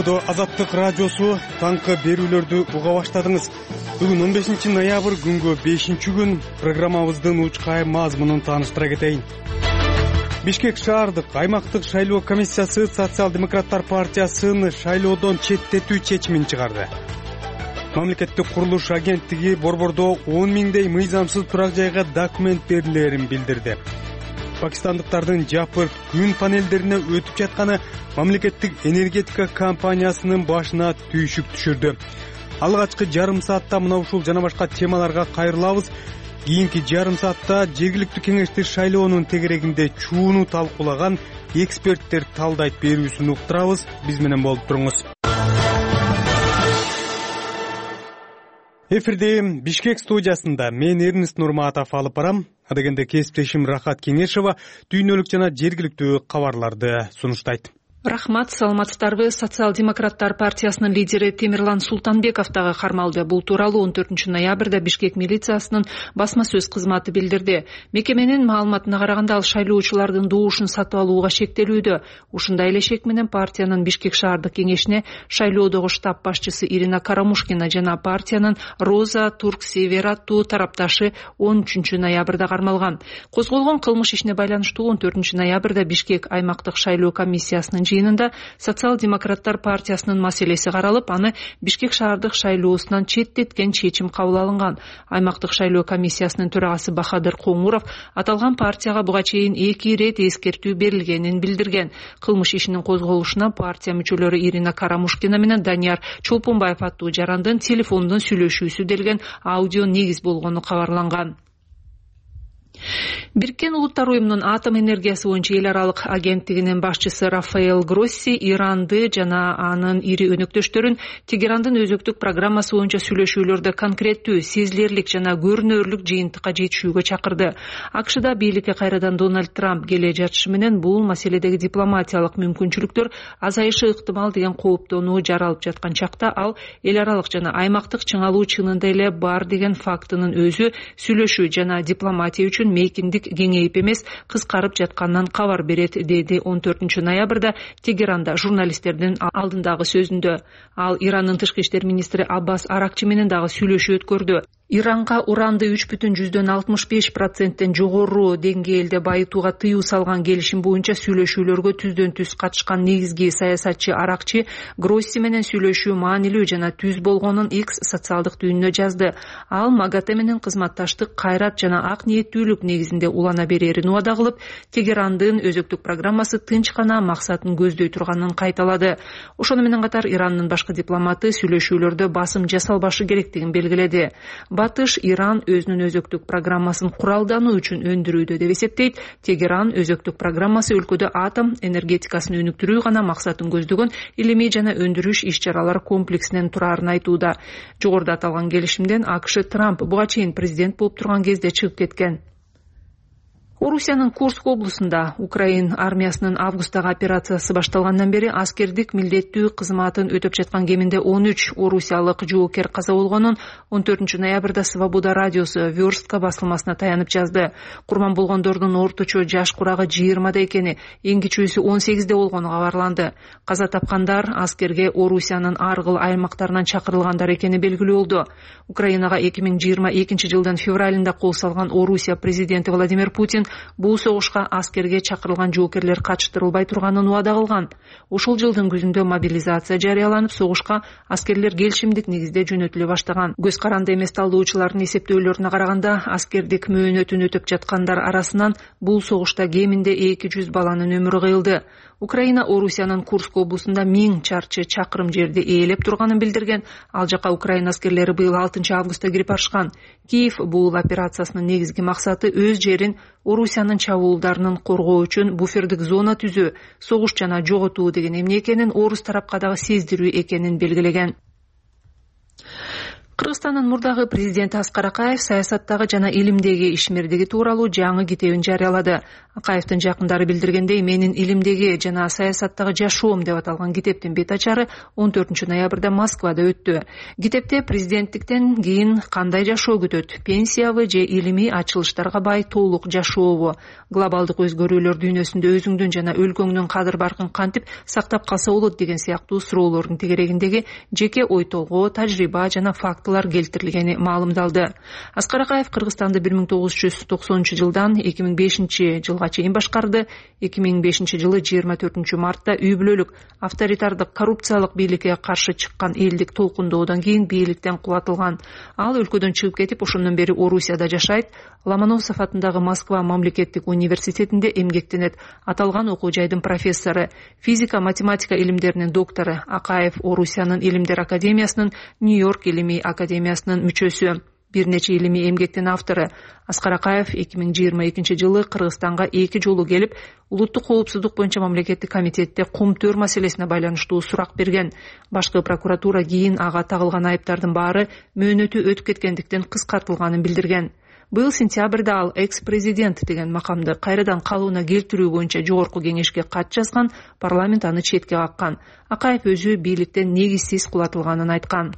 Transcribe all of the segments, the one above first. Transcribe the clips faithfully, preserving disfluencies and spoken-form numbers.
Шайлоодо Азаттык радиосу таңкы берүүлөрдү уга баштадыңыз. Бүгүн он бешинчи ноябрь күнгө бешинчи күн. Программабыздын учкай мазмунун тааныштыра кетейин. Бишкек шаардык аймактык шайлоо комиссиясы Социал-демократтар партиясын шайлоодон четтетүү чечимин чыгарды. Мамлекеттик курулуш агенттиги борбордо он миңдей мыйзамсыз турак жайга документ берилерин билдирди. Пакистандыктардын жапырт күн панелдерине өтүп жатканы мамлекеттик энергетика компаниясынын башына түйшүк түшүрдү. Алгачкы жарым саатта мына ушул жана башка темаларга кайрылабыз. Кийинки жарым саатта жергиликтүү кеңешти шайлоонун тегерегинде чууну талкуулаган эксперттер талдайт берүүсүн уктурабыз. Биз менен болуп туруңуз. Эфирде Бишкек студиясында мен Эрнест Нурматов алып барам. Адегенде кесиптешим Рахат Кеңешова дүйнөлүк жана жергиликтүү кабарларды сунуштайт. Рахмат, саламатсыздарбы. Социал-демократтар партиясынын лидери Темирлан Султанбеков дагы кармалды. Бул тууралуу он төртүнчү ноябрда Бишкек милициясынын басма сөз кызматы билдирди. Мекеменин маалыматына караганда, ал шайлоочулардын добушун сатып алууга шектелүүдө. Ушундай эле шек менен партиянын Бишкек шаардык кеңешине шайлоодогу штаб башчысы Ирина Карамушкина жана партиянын Роза Турк-Север аттуу тарапташы он үчүнчү ноябрда кармалган. Козголгон кылмыш ишине байланыштуу он төртүнчү ноябрда Бишкек аймактык шайлоо комиссиясынын жыйынында Социал-демократтар партиясынын маселеси каралып, аны Бишкек шаардык шайлоосунан четтеткен чечим кабыл алынган. Аймактык шайлоо комиссиясынын төрагасы Бахадыр Коңуров аталган партияга буга чейин эки ирет эскертүү берилгенин билдирген. Кылмыш ишинин козголушуна партия мүчөлөрү Ирина Карамушкина менен Данияр Чолпонбаев аттуу жарандын телефондон сүйлөшүүсү делген аудио негиз болгону кабарланган. Бириккен Улуттар уюмунун атом энергиясы боюнча эл аралык агенттигинин башчысы Рафаэл Гросси Иранды жана анын ири өнөктөштөрүн Тегерандын өзөктүк программасы боюнча сүйлөшүүлөрдө конкреттүү, сезилерлик жана көрүнөрлүк жыйынтыкка жетишүүгө чакырды. АКШда бийликке кайрадан Дональд Трамп келе жатышы менен бул маселедеги дипломатиялык мүмкүнчүлүктөр азайышы ыктымал деген кооптонуу жаралып жаткан чакта ал эл аралык жана аймактык чыңалуу чынында эле бар деген фактынын өзү сүйлөшүү жана дипломатия үчүн мейкиндик кеңейип эмес, кыскарып жатканынан кабар берет, деди он төртүнчү ноябрда Тегеранда журналисттердин алдындагы сөзүндө. Ал Ирандын тышкы иштер министри Аббас Аракчы менен дагы сүйлөшүү өткөрдү. Иранга уранды үч бүтүн жүздөн алтымыш беш проценттен жогору деңгээлде байытууга тыюу салган келишим боюнча сүйлөшүүлөргө түздөн түз катышкан негизги саясатчы Аракчы Гросси менен сүйлөшүү маанилүү жана түз болгонун X социалдык түйүнүнө жазды. Ал МАГАТЭ менен кызматташтык, кайрат жана ак ниеттүүлүк негизинде улана берерин убада кылып, Тегерандын өзөктүк программасы тынч гана максатын көздөй турганын кайталады. Ошону менен катар Ирандын башкы дипломаты сүйлөшүүлөрдө басым жасалбашы керектигин белгиледи. Батыш Иран өзүнүн өзөктүк программасын куралдануу үчүн өндүрүүдө деп эсептейт. Тегеран өзөктүк программасы өлкөдө атом энергетикасын өнүктүрүү гана максатын көздөгөн илимий жана өндүрүш иш-чаралар комплексинен турарын айтууда. Жогоруда аталган келишимден АКШ Трамп буга чейин президент болуп турган кезде чыгып кеткен. Орусиянын Курск облусунда Украин армиясынын августтагы операциясы башталгандан бери аскердик милдеттүү кызматын өтөп жаткан кеминде он үч орусиялык жоокер каза болгонун он төртүнчү ноябрда Свобода радиосу Верстка басылмасына таянып жазды. Курман болгондордун орточо жаш курагы жыйырмада экени, эң кичүүсү он сегизде болгону кабарланды. Каза тапкандар аскерге Орусиянын ар кыл аймактарынан чакырылгандар экени белгилүү болду. Украинага эки миң жыйырма экинчи жылдын февралында кол салган Орусия президенти Владимир Путин бул согушка аскерге чакырылган жоокерлер катыштырылбай турганын убада кылган. Ушул жылдын күзүндө мобилизация жарыяланып, согушка аскерлер келишимдик негизде жөнөтүлө баштаган. Көз каранды эмес талдоочулардын эсептөөлөрүнө караганда, аскердик мөөнөтүн өтөп жаткандар арасынан бул согушта кеминде эки жүз баланын өмүрү кыйылды. Украина Орусиянын Курск облусунда миң чарчы чакырым жерди ээлеп турганын билдирген. Ал жака Украина аскерлери быйыл алтынчы августта кирип барышкан. Киев бул операциясынын негизги максаты өз жерин Орусиянын чабуулдарынан коргоо үчүн буфердик зона түзүү, согуш жана жоготуу деген эмне экенин орус тарапка дагы сездирүү экенин белгилеген. Кыргызстандын мурдагы президенти Аскар Акаев саясаттагы жана илимдеги ишмердиги тууралуу жаңы китебин жарыялады. Акаевдин жакындары билдиргендей, менин илимдеги жана саясаттагы жашоом деп аталган китептин бет ачары он төртүнчү ноябрда Москвада өттү. Китепте президенттиктен кийин кандай жашоо күтөт, пенсиябы же илимий ачылыштарга бай толук жашообу, глобалдык өзгөрүүлөр дүйнөсүндө өзүңдүн жана өлкөңдүн кадыр баркын кантип сактап калса болот деген сыяктуу суроолордун тегерегиндеги жеке ой толгоо, тажрыйба жана фактылар келтирилгени маалымдалды. Аскар Акаев Кыргызстанды бир миң тогуз жүз токсонунчу жылдан эки миң бешинчи жылга чейин башкарды. эки миң бешинчи жылы жыйырма төртүнчү мартта үй бүлөлүк авторитардык коррупциялык бийликке каршы чыккан элдик толкундоодон кийин бийликтен кулатылган. Ал өлкөдөн чыгып кетип, ошондон бери Орусияда жашайт. Ломоносов атындагы Москва мамлекеттик университетинде эмгектенет. Аталган окуу жайдын профессору, физика, математика илимдеринин доктору. Акаев Орусиянын илимдер академиясынын, Нью-Йорк илимий академиясынын мүчөсү. Бир нече илимий эмгектин автору. Аскар Акаев эки миң жыйырма экинчи жылы Кыргызстанга эки жолу келип, улуттук коопсуздук боюнча мамлекеттик комитетте кум-төр маселесине байланыштуу сурак берген. Башкы прокуратура кийин ага тагылган айыптардын баары мөөнөтү өтүп кеткендиктен кыскартылганын билдирген. Быйыл сентябрда ал экс-президент деген макамды кайрадан калыбына келтирүү боюнча жогорку кеңешке кат жазган, парламент аны четке каккан. Акаев өзү бийликтен негизсиз кулатылганын айткан.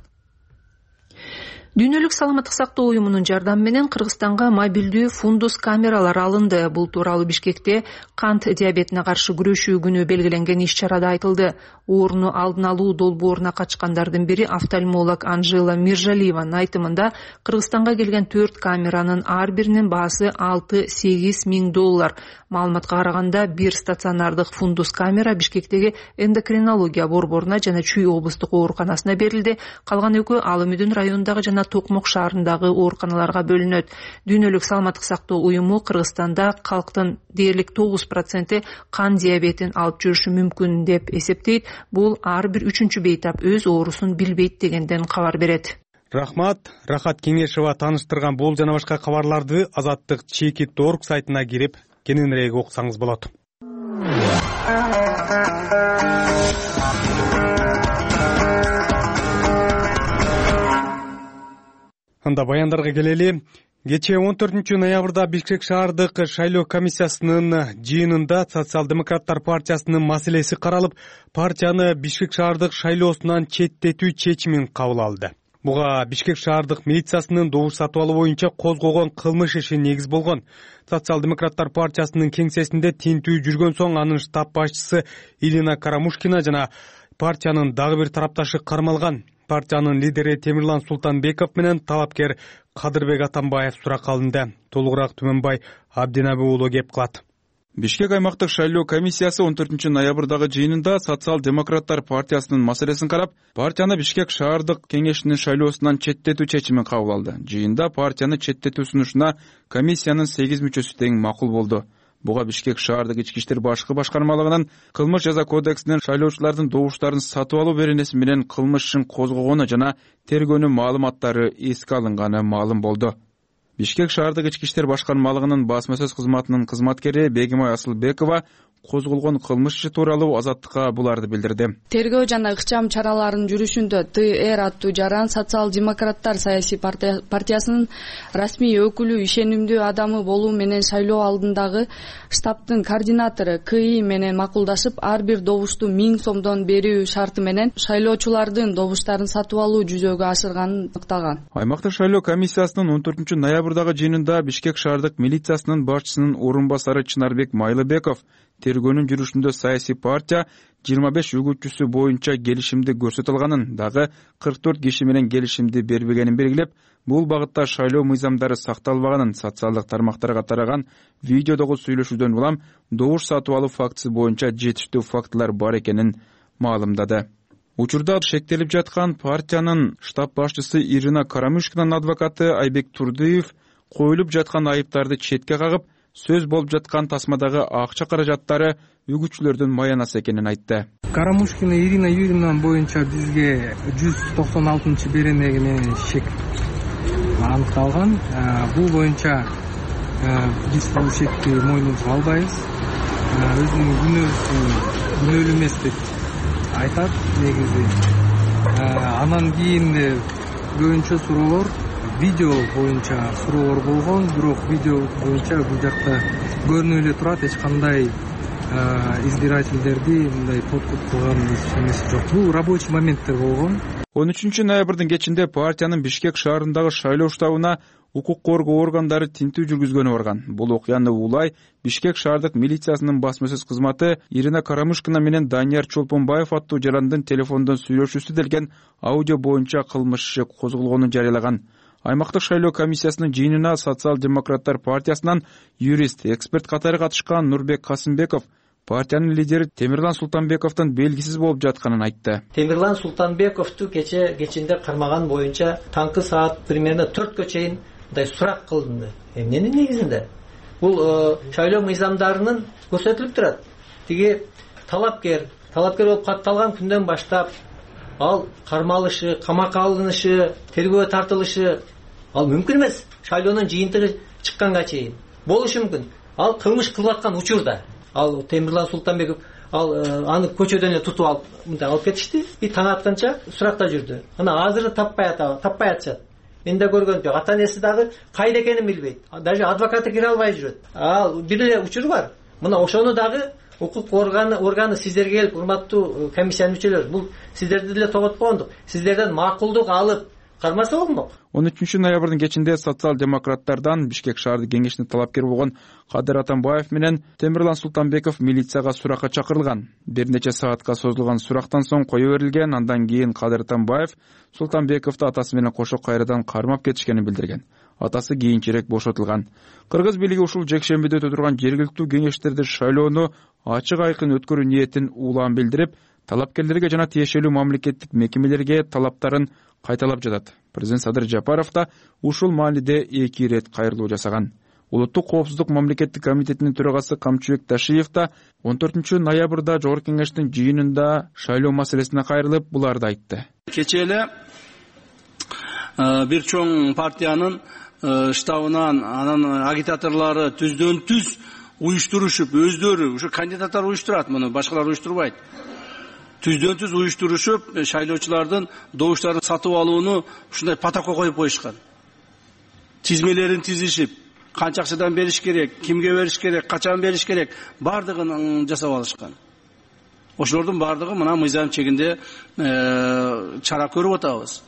Дүйнөлүк саламаттык сактоо уюмунун жардамы менен Кыргызстанга мобилдүү фундус камералар алынды. Бул тууралуу Бишкекте кант диабетине каршы күрөшүү күнү белгиленген иш-чарада айтылды. Ооруну алдын алуу долбооруна катышкандардын бири офтальмолог Анжела Миржалиеванын айтымында Кыргызстанга келген төрт камеранын ар биринин баасы алты-сегиз миң доллар. Маалыматка караганда бир стационардык фундус камера Бишкектеги эндокринология борборуна жана Чүй облустук ооруканасына берилди. Калган экөө Алымүдүн районундагы жана Токмок шаарындагы ооруканаларга бөлүнөт. Дүйнөлүк саламаттык сактоо уюму Кыргызстанда калктын дээрлик тогуз проценти кан диабетин алып жүрүшү мүмкүн деп эсептейт. Бул ар бир үчүнчү бейтап өз оорусун билбейт дегенден кабар берет. Рахмат, Рахат Кеңешова тааныштырган бул жана башка кабарларды Азаттык чекит точка орг сайтына кирип кененирээк окусаңыз болот. Анда баяндарга келели. Кечээ он төртүнчү ноябрда Бишкек шаардык шайлоо комиссиясынын жыйынында Социал-демократтар партиясынын маселеси каралып, партияны Бишкек шаардык шайлоосунан четтетүү чечимин кабыл алды. Буга Бишкек шаардык милициясынын добуш сатып алуу боюнча козгогон кылмыш иши негиз болгон. Социал-демократтар партиясынын кеңсесинде тинтүү жүргөн соң анын штаб башчысы Ирина Карамушкина жана партиянын дагы бир тарапташы кармалган. Партиянын лидери Темирлан Султанбеков менен талапкер Кадырбек Атамбаев суракка алынды. Толугураак Түмөнбай Абдинаби уулу кеп кылат. Бишкек аймактык шайлоо комиссиясы он төртүнчү ноябрдагы жыйынында Социал-демократтар партиясынын маселесин карап, партияны Бишкек шаардык кеңешинин шайлоосунан четтетүү чечимин кабыл алды. Жыйында партияны четтетүү сунушуна комиссиянын сегиз мүчөсү тең макул болду. Буга Бишкек шаардык ички иштер башкы башкармалыгынын кылмыш жаза кодексинин шайлоочулардын добуштарын сатып алуу беренеси менен кылмыш ишин козгогону жана тергөөнүн маалыматтары эске алынганы маалым болду. Бишкек шаардык ички иштер башкармалыгынын басма сөз кызматынын кызматкери Бегимай Асылбекова козголгон кылмыш иши тууралуу Азаттыкка буларды билдирди. Тергөө жана ыкчам чараларынын жүрүшүндө ТР аттуу жаран Социал-демократтар саясий партиясынын расмий өкүлү, ишенимдүү адамы болуу менен шайлоо алдындагы штабтын координатору КИ менен макулдашып, ар бир добушту миң сомдон берүү шарты менен шайлоочулардын добуштарын сатып алуу жүзөгө ашырганын ыктаган. Аймактык шайлоо комиссиясынын он төртүнчү ноябрдагы жыйынында Бишкек шаардык милициясынын башчысынын орун басары Чынарбек Майлыбеков тергөөнүн жүрүшүндө саясий партия жыйырма беш үгүтчүсү боюнча келишимди көрсөтө алганын, дагы кырк төрт киши менен келишимди бербегенин белгилеп, бул багытта шайлоо мыйзамдары сакталбаганын, социалдык тармактарга тараган видеодогу сүйлөшүүдөн улам добуш сатып алуу фактысы боюнча жетиштүү фактылар бар экенин маалымдады. Учурда шектелип жаткан партиянын штаб башчысы Ирина Карамушкинанын адвокаты Айбек Турдыев коюлуп жаткан айыптарды четке кагып, сөз болуп жаткан тасмадагы акча каражаттары үгүтчүлөрдүн маянасы экенин айтты. Карамушкина Ирина Юрьевна боюнча бизге жүз токсон алтынчы беренеги менен шек аныкталган. Бул боюнча биз бул шекти мойнубузга албайбыз. Өзүнүн күнөөсү күнөөлүү эмес деп айтат негизи. Анан кийин көбүнчө суроолор видео боюнча суроолор болгон, бирок видео боюнча бул жакта көрүнүп эле турат, эч кандай избирательдерди мындай подкуп кылган эмеси жок. Бул рабочий моменттер болгон. он үчүнчү ноябрдын кечинде партиянын Бишкек шаарындагы шайлоо штабына укук коргоо органдары тинтүү жүргүзгөнү барган. Бул окуяны улай Бишкек шаардык милициясынын басма сөз кызматы Ирина Карамышкина менен Данияр Чолпонбаев аттуу жарандын телефондон сүйлөшүүсү делген аудио боюнча кылмыш иши козголгонун жарыялаган. Аймактык шайлоо комиссиясынын жыйынына Социал-демократтар партиясынан юрист, эксперт катары катышкан Нурбек Касымбеков партиянын лидери Темирлан Султанбековдун белгисиз болуп жатканын айтты. Темирлан Султанбековду кече кечинде кармаган боюнча таңкы саат примерно төрткө чейин мындай сурак кылынды. Эмненин негизинде? Бул шайлоо мыйзамдарынын көрсөтүлүп турат. Тиги талапкер, талапкер болуп катталган күндөн баштап ал кармалышы, камакка алынышы, тергөөгө тартылышы ал мүмкүн эмес. Шайлоонун жыйынтыгы чыкканга чейин болушу мүмкүн. Ал кылмыш кылып аткан учурда ал Темирлан Султанбеков ал аны көчөдөн эле тутуп алып мындай алып кетишти. И таң атканча суракта жүрдү. Ана азыр таппай атабы, таппай атышат. Мен да көргөнүм жок. Ата энеси дагы кайда экенин билбейт. Даже адвокаты кире албай жүрөт. Ал бир эле учур бар. Мына ошону дагы укук органы органы сиздерге келип, урматтуу комиссиянын мүчөлөрү, бул сиздерди деле тоботкондук. Сиздерден макулдук алып кармаса болмок. он үчүнчү ноябрдын кечинде социал-демократтардан Бишкек шаардык кеңешине талапкер болгон Кадыр Атамбаев менен Темирлан Султанбеков милицияга суракка чакырылган. Бир нече саатка созулган сурактан соң кое берилген. Андан кийин Кадыр Атамбаев Султанбековду атасы менен кошо кайрадан кармап кетишкенин билдирген. Атасы кийинчерээк бошотулган. Кыргыз бийлиги ушул жекшембиде өтө турган жергиликтүү кеңештерде шайлоону ачык айкын өткөрүү ниетин улам билдирип, талапкерлерге жана тиешелүү мамлекеттик мекемелерге талаптарын кайталап жатат. Президент Садыр Жапаров да ушул маалиде эки ирет кайрылуу жасаган. Улуттук коопсуздук мамлекеттик комитетинин төрагасы Камчыбек Ташиев да он төртүнчү ноябрда жогорку кеңештин жыйынында шайлоо маселесине кайрылып, буларды айтты. Кече эле бир чоң партиянын штабынан анан агитаторлору түздөн түз уюштурушуп, өздөрү ушу кандидаттар уюштурат, муну башкалар уюштурбайт. Түздөн түз уюштурушуп, шайлоочулардын добуштарын сатып алууну ушундай протокол коюп коюшкан. Тизмелерин тизишип, канча акчадан бериш керек, кимге бериш керек, качан бериш керек, бардыгын жасап алышкан. Ошолордун бардыгы мына мыйзам чегинде чара көрүп атабыз.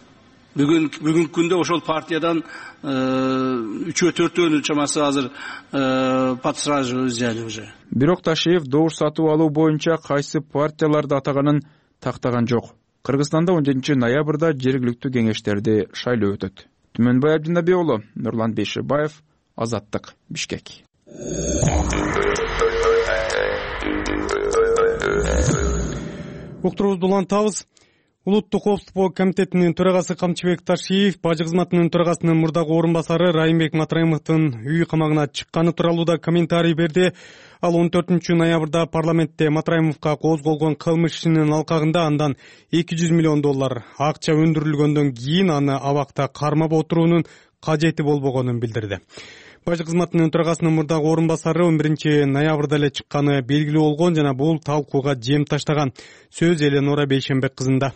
Бүгүн бүгүнкү күндө ошол партиядан үчөө төртөөнүн чамасы азыр под стражу взяли уже. Бирок Ташиев добуш сатып алуу боюнча кайсы партияларды атаганын тактаган жок. Кыргызстанда он жетинчи ноябрда жергиликтүү кеңештерди шайлоо өтөт. Түмөнбай Абдинабек уулу, Нурлан Бейшебаев, Азаттык, Бишкек. Уктурубузду улантабыз. Улуттук коопсуздук комитетинин төрагасы Камчыбек Ташиев бажы кызматынын төрагасынын мурдагы орун басары Райымбек Матраимовдун үй камагына чыкканы тууралуу да комментарий берди. Ал он төртүнчү ноябрда парламентте Матраимовго козголгон кылмыш ишинин алкагында андан эки жүз миллион доллар акча өндүрүлгөндөн кийин аны абакта кармап отуруунун кажети болбогонун билдирди. Бажы кызматынын төрагасынын мурдагы орун басары он биринчи ноябрда эле чыкканы белгилүү болгон жана бул талкууга жем таштаган. Сөз Эленора Бейшембек кызында.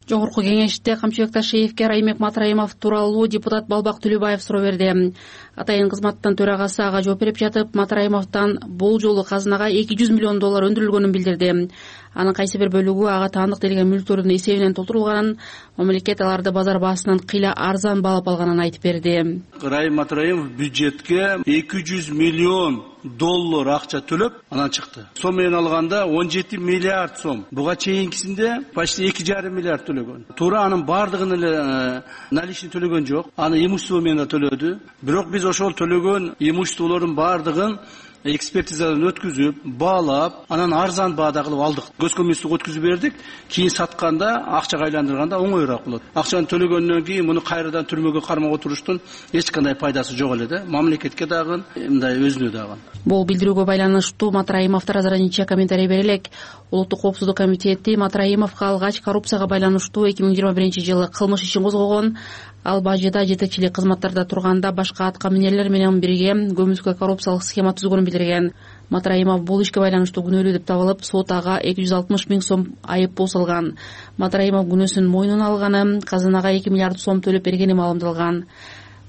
Жогорку кеңеште Камчыбек Ташиевке Райымбек Матраимов тууралуу депутат Балбак Түлүбаев суроо берди. Атайын кызматтын төрагасы ага жооп берип жатып, Матраимовдон бул жолу казынага эки жүз миллион доллар өндүрүлгөнүн билдирди. Анын кайсы бир бөлүгү ага таандык делген мүлктөрдүн эсебинен толтурулганын, мамлекет аларды базар баасынан кыйла арзан баалап алганын айтып берди. Райым Матраимов бюджетке эки жүз миллион доллар акча төлөп анан чыкты. Сом менен алганда он жети миллиард сом. Буга чейинкисинде почти эки жарым миллиард төлөгөн. Туура анын бардыгын эле наличный төлөгөн жок. Аны имущество менен да төлөдү. Бирок биз ошол төлөгөн имуществолордун бардыгын экспертизадан өткүзүп, баалап, анан арзан баада кылып алдык. Госкомиссияга өткүзүп бердик. Кийин сатканда, акчага айландырганда оңоюраак болот. Акчаны төлөгөндөн кийин муну кайрадан түрмөгө кармап отуруштун эч кандай пайдасы жок эле да. Мамлекетке дагы, мындай өзүнө дагы. Бул билдирүүгө байланыштуу Матраимов таразаранча комментарий бере элек. Улуттук коопсуздук комитети Матраимовго алгач коррупцияга байланыштуу эки миң жыйырма биринчи жылы кылмыш ишин козгогон. Ал бажыда жетекчилик кызматтарда турганда башка аткаминерлер менен бирге көмүскө коррупциялык схема түзгөнүн билдирген. Матраимов бул ишке байланыштуу күнөөлүү деп табылып, сот ага эки жүз алтымыш миң сом айып пул салган. Матраимов күнөөсүн мойнуна алганы, казынага эки миллиард сом төлөп бергени маалымдалган.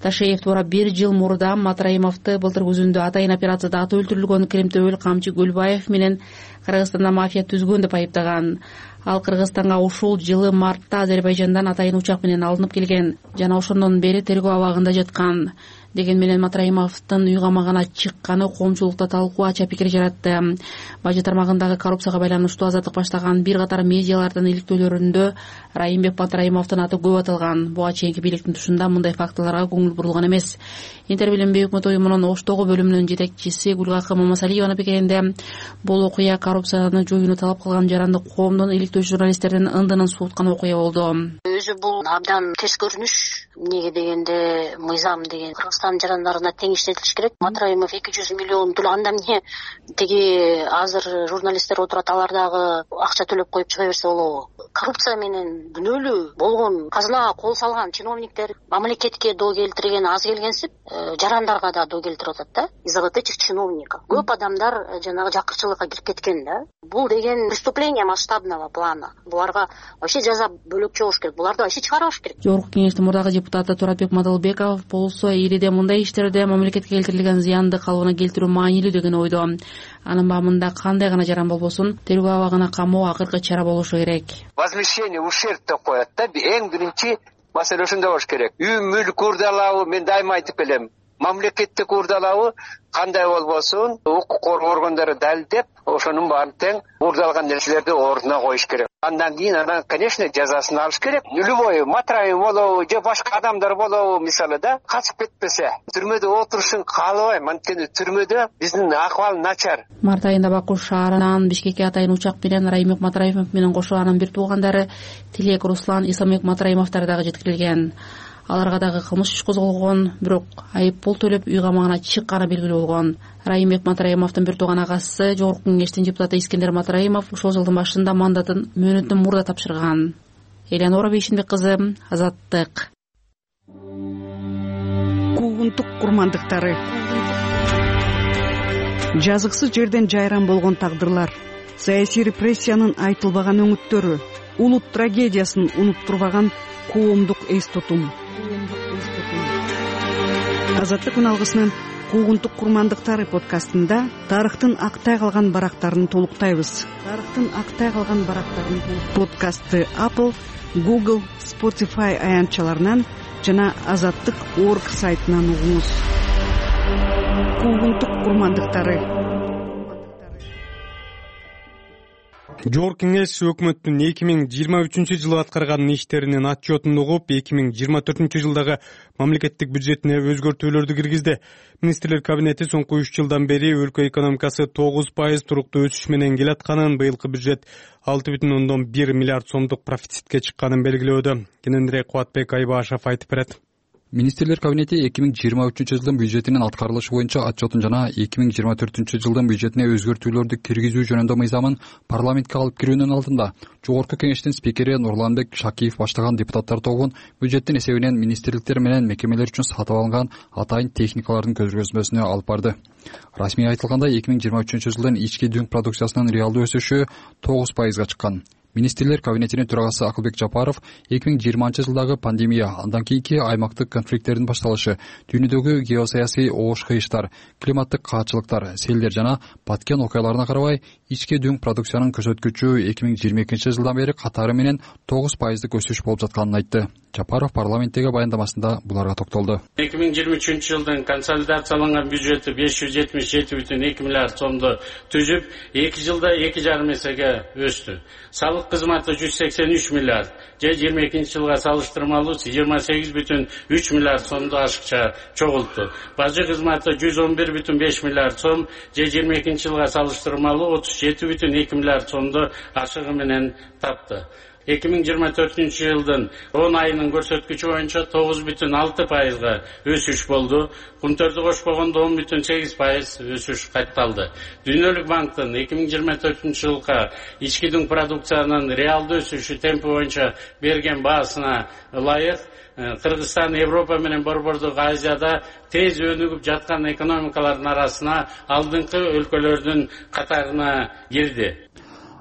Ташеев туура бир жыл мурда Матраимовду былтыр күзүндө атайын операцияда аты өлтүрүлгөн Керимтөбөл Камчы Гөлбаев менен Кыргызстанда мафия түзгөн деп айыптаган. Ал Кыргызстанга ушул жылы мартта Азербайжандан атайын учак менен алынып келген жана ошондон бери тергөө абагында жаткан. Деген менен Матраимовдун үй камагына чыкканы коомчулукта талкуу ача пикир жаратты. Бажы тармагындагы коррупцияга байланыштуу Азаттык баштаган бир катар медиалардын иликтөөлөрүндө Райымбек Матраимовдун аты көп аталган. Буга чейинки бийликтин тушунда мындай фактыларга көңүл бурулган эмес. Интер Билим Өкмөт уюмунун Оштогу бөлүмүнүн жетекчиси Гүлгакы Мамасалиеванын пикиринде, бул окуя коррупцияны жоюуну талап кылган жаранды коомдун иликтөөчү журналисттердин ындынын сууткан окуя болду. Өзү бул абдан терс көрүнүш. Эмнеге дегенде мыйзам деген Кыргызстан жарандарына тең иштетилиш керек. Матраимов эки жүз миллион төлөп, анда эмне тиги азыр журналисттер отурат, алар дагы акча төлөп коюп чыга берсе болобу? Коррупция менен күнөөлүү болгон, казынага кол салган чиновниктер мамлекетке доо келтирген аз келгенсип, жарандарга да доо келтирип атат да. Из-за вот этих чиновников көп адамдар жанагы жакырчылыкка кирип кеткен да. Бул деген преступление масштабного плана. Буларга вообще жаза бөлөкчө болуш керек. Буларды вообще чыгарбаш керек. Жогорку кеңештин мурдагы депутаты Туратбек Мадалбеков болсо, ириде мындай иштерде мамлекетке келтирилген зыянды калыбына келтирүү маанилүү деген ойдо. Анын баамында кандай гана жаран болбосун, тергөө абагына камоо акыркы чара болушу керек. Возмещение ушерб деп коет да. Эң биринчи маселе ошондой болуш керек. Үй мүлк урдалабы, мен дайыма айтып келем. Мамлекеттик урдалабы кандай болбосун, укук коргоо органдары далилдеп, ошонун баарын тең урдалган нерселерди ордуна коюш керек. Андан кийин анан, конечно, жазасын алыш керек. Любой Матраим болобу, же башка адамдар болобу, мисалы да, качып кетпесе, түрмөдө отурушун каалабайм. Анткени түрмөдө биздин акыбал начар. Март айында Баку шаарынан Бишкекке атайын учак менен Райымбек Матраимов менен кошо анын бир туугандары Тилек Руслан Исламбек Матраимовдор дагы жеткирилген. Аларга дагы кылмыш иш козголгон, бирок айып пул төлөп үй камагына чыкканы белгилүү болгон. Райымбек Матраимовдун бир тууган агасы, жогорку кеңештин депутаты Искендер Матраимов ушул жылдын башында мандатын мөөнөттөн мурда тапшырган. Элеонора Бейшенбек кызы, Азаттык. Куугунтук курмандыктары. Жазыксыз жерден жайран болгон тагдырлар, саясий репрессиянын айтылбаган өңүттөрү, улут трагедиясын унуттурбаган коомдук эс тутум. Азаттык алгысынын Куугунтук курмандыктары подкастында тарыхтын актай калган барактарын толуктайбыз. Тарыхтын актай калган барактарын подкастты Apple, Google, Spotify аянтчаларынан жана азаттык точка орг сайтынан угуңуз. Куугунтук курмандыктары. Жогорку кеңеш өкмөттүн эки миң жыйырма үчүнчү жылы аткарган иштеринин отчетун угуп, эки миң жыйырма төртүнчү жылдагы мамлекеттик бюджетине өзгөртүүлөрдү киргизди. Министрлер кабинети соңку үч жылдан бери өлкө экономикасы тогуз пайыз туруктуу өсүш менен келатканын, быйылкы бюджет алты бүтүн ондон бир миллиард сомдук профицитке чыкканын белгилөөдө. Кененирээк Кубатбек Айбашев айтып берет. Министрлер кабинети эки миң жыйырма үчүнчү жылдын бюджетинин аткарылышы боюнча отчетун жана эки миң жыйырма төртүнчү жылдын бюджетине өзгөртүүлөрдү киргизүү жөнүндө мыйзамын парламентке алып кирүүнүн алдында жогорку кеңештин спикери Нурланбек Шакиев баштаган депутаттар тобун бюджеттин эсебинен министрликтер менен мекемелер үчүн сатып алынган атайын техникалардын көзөмөлдөөсүнө алып барды. Расмий айтылгандай, эки миң жыйырма үчүнчү жылдын ички дүң продукциясынын реалдуу өсүшү тогуз пайызга чыккан. Министрлер кабинетинин төрагасы Акылбек Жапаров эки миң жыйырманчы жылдагы пандемия, андан кийинки аймактык конфликттердин башталышы, дүйнөдөгү геосаясий оош кыйыштар, климаттык каатчылыктар, селдер жана Баткен окуяларына карабай, ички дүң продукциянын көрсөткүчү эки миң жыйырма экинчи жылдан бери катары менен тогуз пайыздык өсүш болуп жатканын айтты. Жапаров парламенттеги баяндамасында буларга токтолду. эки миң жыйырма үчүнчү жылдын консолидацияланган бюджети беш жүз жетимиш жети бүтүн эки миллиард сомду түзүп, эки жылда эки жарым эсеге өстү. Салык кызматы жүз сексен үч миллиард, же жыйырма экинчи жылга салыштырмалуу жыйырма сегиз бүтүн үч миллиард сомду ашыкча чогултту. Бажы кызматы жүз он бир бүтүн беш миллиард сом, же жыйырма экинчи жылга салыштырмалуу отуз жети бүтүн эки миллиард сомду ашыгы менен тапты. эки миң жыйырма төртүнчү жылдын он айынын көрсөткүчү боюнча тогуз бүтүн алты пайызга өсүш болду. Кумтөрдү кошпогондо он бүтүн сегиз пайыз өсүш катталды. Дүйнөлүк банктын эки миң жыйырма төртүнчү жылга ички дүң продукциянын реалдуу өсүшү темпи боюнча берген баасына ылайык Кыргызстан Европа менен Борбордук Азияда тез өнүгүп жаткан экономикалардын арасына алдыңкы өлкөлөрдүн катарына кирди.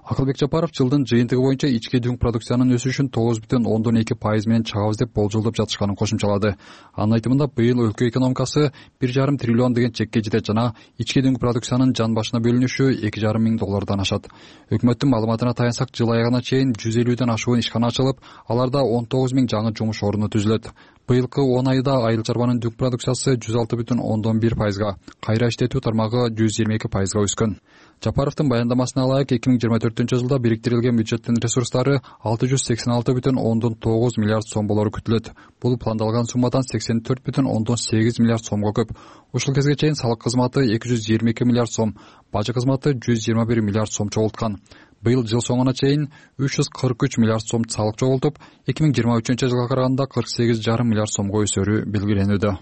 Акылбек Жапаров жылдын жыйынтыгы боюнча ички дүң продукциянын өсүшүн тогуз бүтүн ондон эки пайыз менен чыгабыз деп болжолдоп жатышканын кошумчалады. Анын айтымында быйыл өлкө экономикасы бир жарым триллион деген чекке жетет жана ички дүң продукциянын жан башына бөлүнүшү эки жарым миң доллардан ашат. Өкмөттүн маалыматына таянсак, жыл аягына чейин жүз элүүдөн ашуун ишкана ачылып, аларда он тогуз миң жаңы жумуш орну түзүлөт. Быйылкы он айда айыл чарбанын дүң продукциясы жүз алты бүтүн ондон бир пайызга, кайра иштетүү тармагы жүз жыйырма эки пайызга өскөн. Жапаровдун баяндамасына ылайык, эки миң жыйырма төртүнчү жылда бириктирилген бюджеттин ресурстары алты жүз сексен алты бүтүн ондон тогуз миллиард сом болору күтүлөт. Бул пландалган суммадан сексен төрт бүтүн ондон сегиз миллиард сомго көп. Ушул кезге чейин салык кызматы эки жүз жыйырма эки миллиард сом, бажы кызматы жүз жыйырма бир миллиард сом чогулткан. Быйыл жыл соңуна чейин үч жүз кырк үч миллиард сом салык чогултуп, эки миң жыйырма үчүнчү жылга караганда кырк сегиз жарым миллиард сомго өсөрү белгиленүүдө.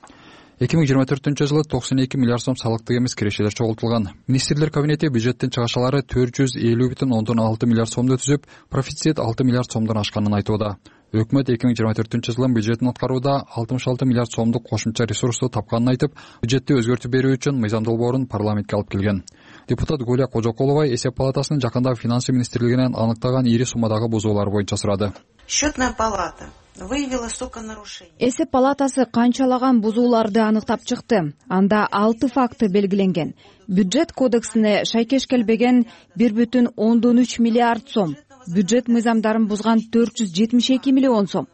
эки миң жыйырма төртүнчү жылы токсон эки миллиард сом салыктык эмес кирешелер чогултулган. Министрлер кабинети бюджеттин чыгашалары төрт жүз элүү бүтүн ондон алты миллиард сомду түзүп, профицит алты миллиард сомдон ашканын айтууда. Өкмөт эки миң жыйырма төртүнчү жылын бюджетин аткарууда алтымыш алты миллиард сомдук кошумча ресурсту тапканын айтып, бюджетти өзгөртүп берүү үчүн мыйзам долбоорун парламентке алып келген. Депутат Гуля Кожокулова Эсеп палатасынын жакында финансы министрлигинен аныктаган ири суммадагы бузуулар боюнча сурады. Счетная палата выявила столько нарушений. Эсеп палатасы канчалаган бузууларды аныктап чыкты. Анда алты факты белгиленген. Бюджет кодексине шайкеш келбеген бир бүтүн ондон үч миллиард сом, бюджет мыйзамдарын бузган төрт жүз жетимиш эки миллион сом,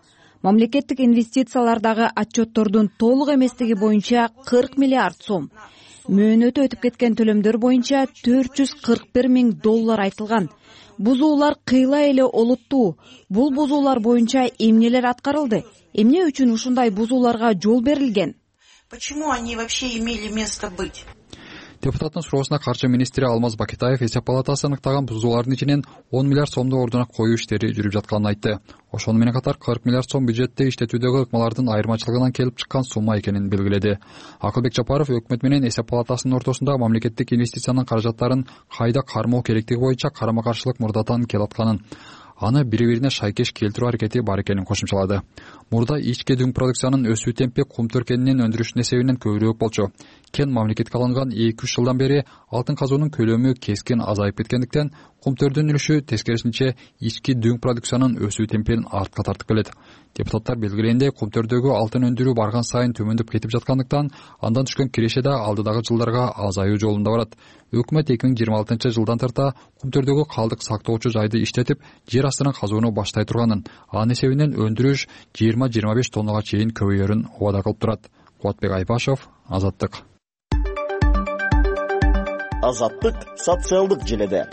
мамлекеттик инвестициялардагы отчеттордун толук эместиги боюнча кырк миллиард сом, мөөнөтү өтүп кеткен төлөмдөр боюнча төрт жүз кырк бир миң доллар айтылган. Бузуулар кыйла эле олуттуу. Бул бузуулар боюнча эмнелер аткарылды? Эмне үчүн ушундай бузууларга жол берилген? Почему они вообще имели место быть? Депутаттын суроосуна каржы министри Алмаз Бакетаев Эсеп палатасы аныктаган бузуулардын ичинен он миллиард сомду ордуна коюу иштери жүрүп жатканын айтты. Ошону менен катар кырк миллиард сом бюджетте иштетүүдөгү ыкмалардын айырмачылыгынан келип чыккан сумма экенин белгиледи. Акылбек Жапаров өкмөт менен Эсеп палатасынын ортосунда мамлекеттик инвестициянын каражаттарын кайда кармоо керектиги боюнча карама каршылык мурдатан келатканын, аны бири-бирине шайкеш келтирүү аракети бар экенин кошумчалады. Мурда ички дүң продукциянын өсүү темпи кумтөр кенинин өндүрүшүнүн эсебинен көбүрөөк болчу. Кен мамлекетке алынган эки үч жылдан бери алтын казуунун көлөмү кескин азайып кеткендиктен, кумтөрдүн үлүшү тескерисинче ички дүң продукциянын өсүү темпин артка тартып келет. Депутаттар белгилегендей, кумтөрдөгү алтын өндүрүү барган сайын төмөндөп кетип жаткандыктан, андан түшкөн киреше да алдыдагы жылдарга азаюу жолунда барат. Өкмөт эки миң жыйырма алтынчы жылдан тарта кумтөрдөгү калдык сактоочу жайды иштетип, жер астынан казууну баштай турганын, анын эсебинен өндүрүш жыйырма жыйырма беш тоннага чейин көбөйөрүн убада кылып турат. Кубатбек Айбашев, Азаттык. Азаттык социалдык желеде.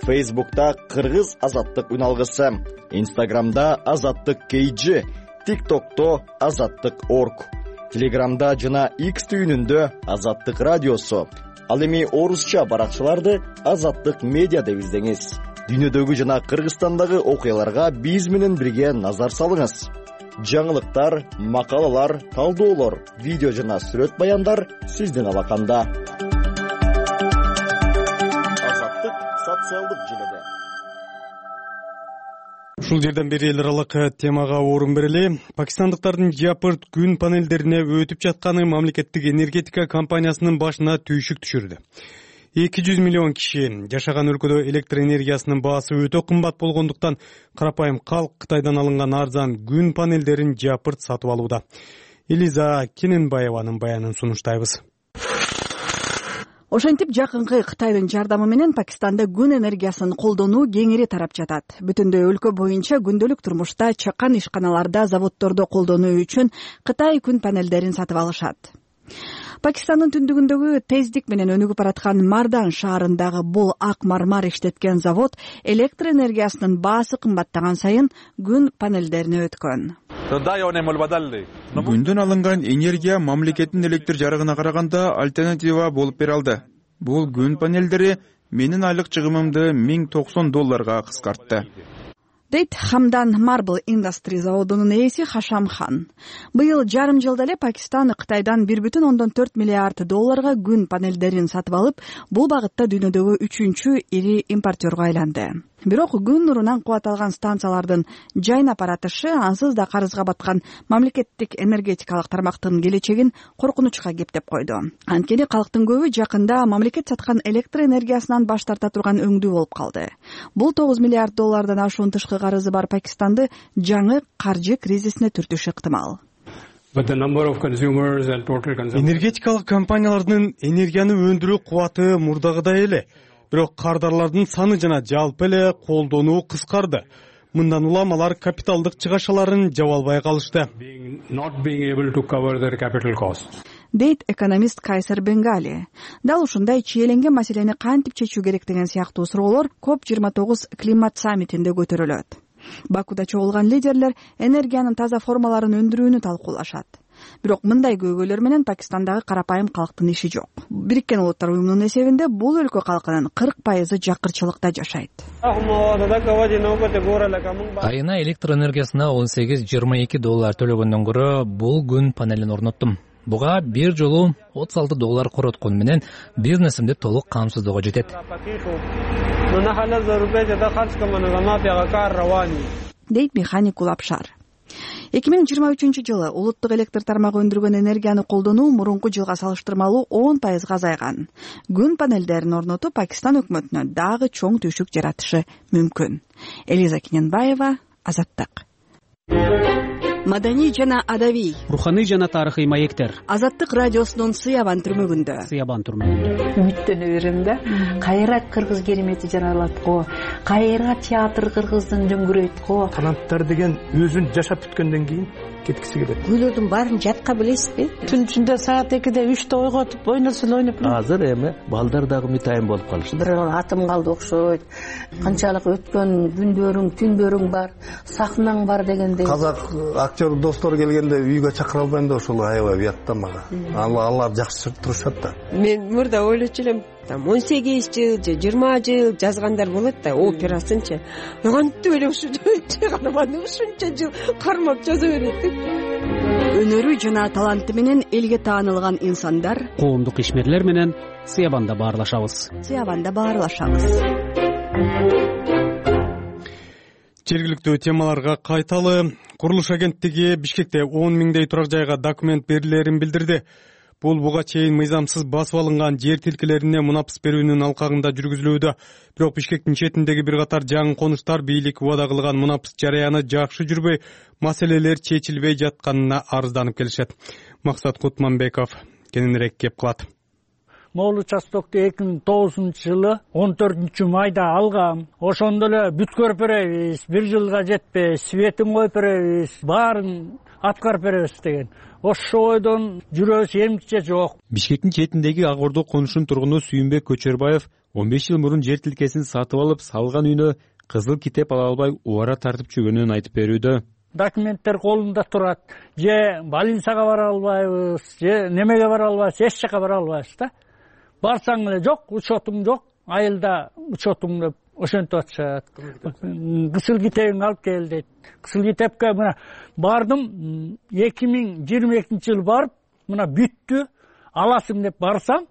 Фейсбукта Кыргыз Азаттык үналгысы, Инстаграмда Азаттык кей джи, ТикТокто Азаттык точка орг, Телеграмда жана X түйүнүндө Азаттык радиосу. Ал эми орусча баракчаларды Азаттык медиа деп издеңиз. Дүйнөдөгү жана Кыргызстандагы окуяларга биз менен бирге назар салыңыз. Жаңылыктар, макалалар, талдоолор, видео жана сүрөт баяндар сиздин алаканда. Азаттык социалдык желеде. Ушул жерден бери эл аралык темага орун берели. Пакистандыктардын жапырт күн панелдерине өтүп жатканы мамлекеттик энергетика компаниясынын башына түйшүк түшүрдү. эки жүз миллион киши жашаган өлкөдө электр энергиясынын баасы өтө кымбат болгондуктан карапайым калк Кытайдан алынган арзан күн панелдерин жапырт сатып алууда. Элиза Кененбаеванын баянын сунуштайбыз. Ошентип жакынкы Кытайдын жардамы менен Пакистанда күн энергиясын колдонуу кеңири тарап жатат. Бүтүндөй өлкө боюнча күндөлүк турмушта чакан ишканаларда, заводдордо колдонуу үчүн Кытай күн панелдерин сатып алышат. Пакистандын түндүгүндөгү тездик менен өнүгүп бараткан Мардан шаарындагы бул ак мармар иштеткен завод электр энергиясынын баасы кымбаттаган сайын күн панелдерине өткөн. Күндөн алынган энергия мамлекеттин электр жарыгына караганда альтернатива болуп бере алды. Бул күн панелдери менин айлык чыгымымды миң токсон долларга кыскартты. дейт Хамдан Marble Industry заводунун ээси Хашамхан. Быйыл жарым жылда эле Пакистан Кытайдан бир бүтүн ондон төрт миллиард долларга күн панелдерин сатып алып, бул багытта дүйнөдөгү үчүнчү ири импортерго айланды. Бирок күн нурунан кубат алган станциялардын жайнап баратышы ансыз да карызга баткан мамлекеттик энергетикалык тармактын келечегин коркунучка кептеп койду. Анткени калктын көбү жакында мамлекет саткан электр энергиясынан баш тарта турган өңдүү болуп калды. Бул тогуз миллиард доллардан ашуун тышкы карызы бар Пакистанды жаңы каржы кризисине түртүшү ыктымал. Энергетикалык компаниялардын энергияны өндүрүү кубаты мурдагыдай эле, бирок кардарлардын саны жана жалпы эле колдонуу кыскарды. Мындан улам алар капиталдык чыгашаларын жаба албай калышты. Дейт экономист Кайсер Бенгали. Дал ушундай чиеленген маселени кантип чечүү керек деген сыяктуу суроолор коп жыйырма тогуз климат саммитинде көтөрүлөт. Бакуда чогулган лидерлер энергиянын таза формаларын өндүрүүнү талкуулашат. Бирок мындай көйгөйлөр менен Пакистандагы карапайым калктын иши жок. Бириккен Улуттар уюмунун эсебинде бул өлкө калкынын кырк пайызы жакырчылыкта жашайт. Айына электр энергиясына он сегиз жыйырма эки доллар төлөгөндөн көрө бул күн панелин орноттум. Буга бир жолу отуз алты доллар короткон менен бизнесимди толук камсыздоого жетет. Дейт механик Улапшар. эки миң жыйырма үчүнчү жылы улуттук электр тармагы өндүргөн энергияны колдонуу мурунку жылга салыштырмалуу он пайызга азайган. Күн панелдерин орнотуу Пакистан өкмөтүнө дагы чоң түйшүк жаратышы мүмкүн. Элиза Киненбаева, Азаттык. Маданий жана адабий, руханий жана тарыхый маектер. Азаттык радиосунун Сыябан түрмөгүндө. Сыябан түрмөгүндө. Үмүттөнө берем да. Кайра кыргыз керемети жаралат го. Кайра театр кыргыздын дөңгүрөйт го. Таланттар деген өзүн жашап бүткөндөн кийин кеткиси келет. Күйлөрдүн баарын жатка билесизби? Түн ичинде саат экиде үчтө ойготуп ойносун ойноп. Азыр эми балдар дагы мытайым болуп калышты. Бир атым калды окшойт. Канчалык өткөн күндөрүң, түндөрүң бар, сахнаң бар дегендей. Казак актер достор келгенде үйгө чакыра албайм да ошол аябай уятта мага. Алар жакшы турушат да. Мен мурда ойлочу элем, там он сегиз жыл же жыйырма жыл жазгандар болот да, операсынчы. Кантип эле ушунча чыгарманы ушунча жыл кармап жаза берет. Өнөрү жана таланты менен элге таанылган инсандар, коомдук ишмерлер менен Сыябанда баарлашабыз. Сыябанда баарлашабыз. Жергиликтүү темаларга кайталы. Курулуш агенттиги Бишкекте он миңдей турак жайга документ берилерин билдирди. Бул буга чейин мыйзамсыз басып алынган жер тилкелерине мунапыс берүүнүн алкагында жүргүзүлүүдө. Бирок Бишкектин четиндеги бир катар жаңы конуштар бийлик убада кылган мунапыс жарыяны жакшы жүрбөй, маселелер чечилбей жатканына арызданып келишет. Максат Кутманбеков кененирээк кеп кылат. Могул участокду эки миң тогузунчу жылы он төртүнчү майда алгам. Ошондо эле бүт көрүп беребиз, бир жылга жетпейт, светин коюп беребиз, баарын аткарып беребиз деген. Ошо ойдон жүрөбүз, эмче жок. Бишкектин четиндеги Ак Ордо конушунун тургуну Сүйүнбек Көчөрбаев он беш жыл мурун жер тилкесин сатып алып, салган үйүнө кызыл китеп ала албай убара тартып жүргөнүн айтып берүүдө. Документтер колунда турат. Же больницага бара албайбыз, же немеге бара албайбыз, эч жака бара албайбыз да. Барсаң эле жок, учетуң жок, айылда учетуң деп ошентип атышат. Кысыл китебиң алып кел дейт. Кысыл китепке мына бардым, эки миң жыйырма экинчи жылы барып, мына бүттү, аласың деп барсам,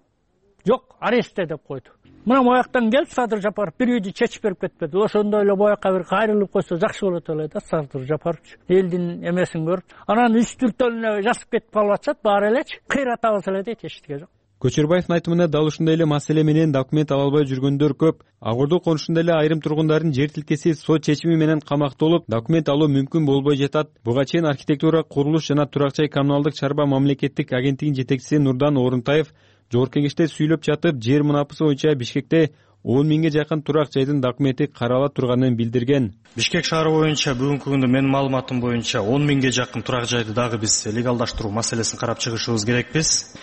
жок, арестте деп койду. Мына мояктан кел, Садыр Жапаров бир үйдү чечип берип кетпеди. Ошондой эле боякка бир кайрылып койсо жакшы болот эле да, Садыр Жапарович. Элдин эмесин көрүп, анан үстүлтөн жазып кетип калып атышат, баары элечи, кыйратабыз эле дейт, эчтеке жок. Көчөрбаевдин айтымына дал ушундай эле маселе менен документ ала албай жүргөндөр көп. Ак Ордо конушунда эле айрым тургундардын жер тилкеси сот чечими менен камакта болуп, документ алуу мүмкүн болбой жатат. Буга чейин архитектура, курулуш жана турак жай коммуналдык чарба мамлекеттик агенттигинин жетекчиси Нурдан Орунтаев жогорку кеңеште сүйлөп жатып, жер мунапысы боюнча Бишкекте он миңге жакын турак жайдын документи карала турганын билдирген. Бишкек шаары боюнча бүгүнкү күндө менин маалыматым боюнча он миңге жакын турак жайды дагы биз легалдаштыруу маселесин карап чыгышыбыз керекпиз.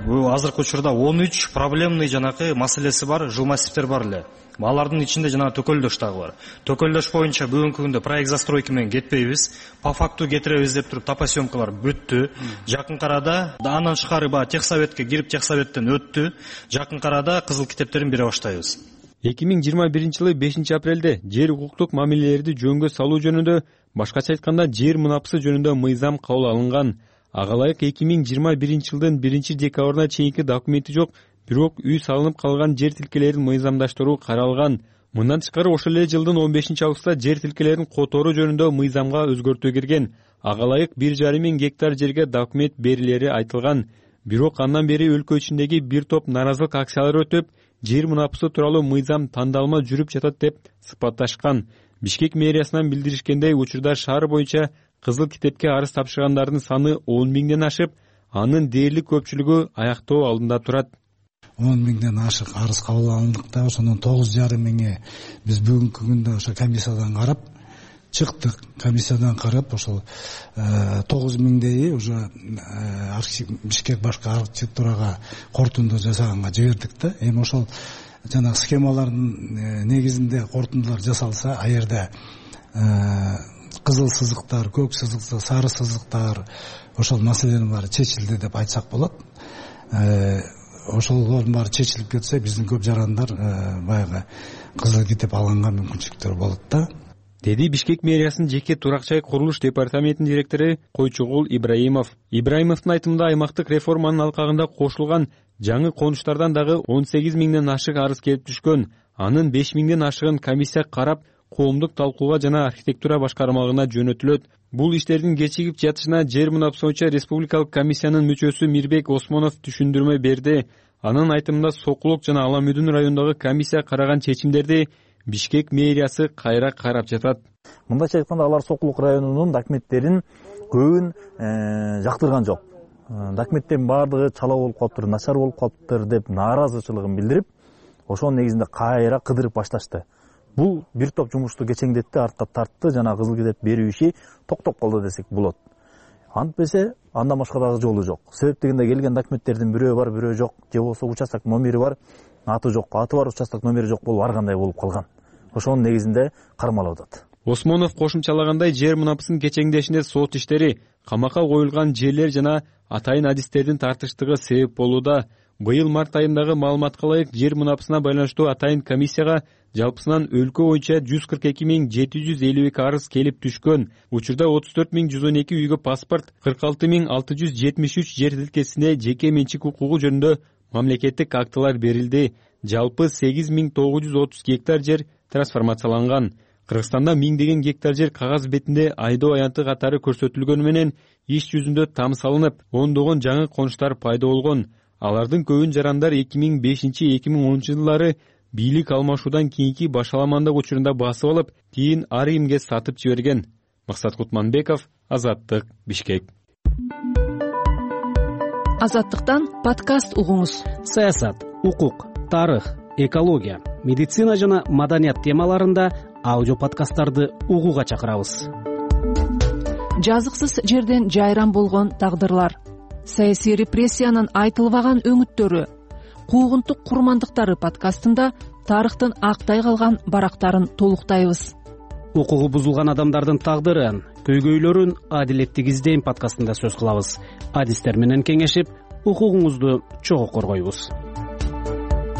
Бул азыркы учурда он үч проблемный жанакы маселеси бар, жыл массивтер бар эле. Алардын ичинде жана төкөлдөш дагы бар. Төкөлдөш боюнча бүгүнкү күндө проект застройки менен кетпейбиз. По факту кетиребиз деп туруп топосъемкалар бүттү. Жакын арада андан тышкары ба техсоветке кирип техсоветтен өттү. Жакын арада кызыл китептерин бере баштайбыз. эки миң жыйырма биринчи жылы бешинчи апрелде жер укуктук мамилелерди жөнгө салуу жөнүндө, башкача айтканда жер мунапысы жөнүндө мыйзам кабыл алынган. Ага ылайык эки миң жыйырма биринчи жылдын биринчи декабрына чейинки документи жок, бирок үй салынып калган жер тилкелерин мыйзамдаштыруу каралган. Мындан тышкары ошол эле жылдын он бешинчи августта жер тилкелерин которуу жөнүндө мыйзамга өзгөртүү кирген. Ага ылайык бир жарым миң гектар жерге документ берилери айтылган. Бирок андан бери өлкө ичиндеги бир топ наразылык акциялары өтүп, жер мунапысы тууралуу мыйзам тандалма жүрүп жатат деп сыпатташкан. Бишкек мэриясынан билдиришкендей, учурда шаар боюнча кызыл китепке арыз тапшыргандардын саны он миңден ашып, анын дээрлик көпчүлүгү аяктоо алдында турат. он миңден ашык арыз кабыл алындык да, ошондон тогуз жарым миңи биз бүгүнкү күндө ошо комиссиядан карап чыктык. Комиссиядан карап ошол тогуз миңдейи уже Бишкек башкы архитектурага корутунду жасаганга жибердик да. Эми ошол жана схемалардын негизинде корутундулар жасалса, а жерде кызыл сызыктар, көк сызыктар, сары сызыктар, ошол маселенин баары чечилди деп айтсак болот. Ошолордун баары чечилип кетсе, биздин көп жарандар баягы кызыл китеп алганга мүмкүнчүлүктөр болот да, деди Бишкек мэриясынын жеке турак-жай курулуш департаментинин директору Койчугул Ибраимов. Ибраимовдун айтымында, аймактык реформанын алкагында кошулган жаңы конуштардан дагы он сегиз миңден ашык арыз келип түшкөн. Анын беш миңден ашыгын комиссия карап, коомдук талкууга жана архитектура башкармалыгына жөнөтүлөт. Бул иштердин кечигип жатышына жер мунапысы боюнча республикалык комиссиянын мүчөсү Мирбек Осмонов түшүндүрмө берди. Анын айтымында, Сокулук жана Аламүдүн районундагы комиссия караган чечимдерди Бишкек мэриясы кайра карап жатат. Мындайча айтканда, алар Сокулук районунун документтерин көбүн жактырган жок. Документтердин баардыгы чала болуп калыптыр, начар болуп калыптыр деп нааразычылыгын билдирип, ошонун негизинде кайра кыдырып башташты. Бул бир топ жумушту кечеңдетти, артка тартты, жана кызыл китеп берүү иши токтоп калды десек болот. Антпесе андан башка дагы жолу жок. Себеп дегенде, келген документтердин бирөө бар, бирөө жок, же болбосо участок номери бар, аты жок, аты бар, участок номери жок болуп ар кандай болуп калган. Ошонун негизинде кармалып атат. Осмонов кошумчалагандай, жер мунапысынын кечеңдешинде сот иштери, камакка коюлган жерлер жана атайын адистердин тартыштыгы себеп болууда. Быйыл март айындагы маалыматка ылайык, жер мунапысына байланыштуу атайын комиссияга жалпысынан өлкө боюнча жүз кырк эки миң жети жүз элүү эки арыз келип түшкөн. Учурда отуз төрт миң жүз он эки үйгө паспорт, кырк алты миң алты жүз жетимиш үч жер тилкесине жеке менчик укугу жөнүндө мамлекеттик актылар берилди. Жалпы сегиз миң тогуз жүз отуз гектар жер трансформацияланган. Кыргызстанда миңдеген гектар жер кагаз бетинде айдоо аянты катары көрсөтүлгөнү менен иш жүзүндө там салынып, ондогон жаңы конуштар пайда болгон. Алардын көбүн жарандар эки миң бешинчи — эки миң онунчу жылдары бийлик алмашуудан кийинки башаламандык учурунда басып алып, кийин ар кимге сатып жиберген. Максат Кутманбеков, Азаттык, Бишкек. Азаттыктан подкаст угуңуз. Саясат, укук, тарых, экология, медицина жана маданият темаларында аудио подкасттарды угууга чакырабыз. Жазыксыз жерден жайран болгон тагдырлар, саясий репрессиянын айтылбаган өңүттөрү, куугунтук курмандыктары подкастында тарыхтын актай калган барактарын толуктайбыз. Укугу бузулган адамдардын тагдырын, көйгөйлөрүн адилеттик издейм подкастында сөз кылабыз. Адистер менен кеңешип, укугуңузду чогуу коргойбуз.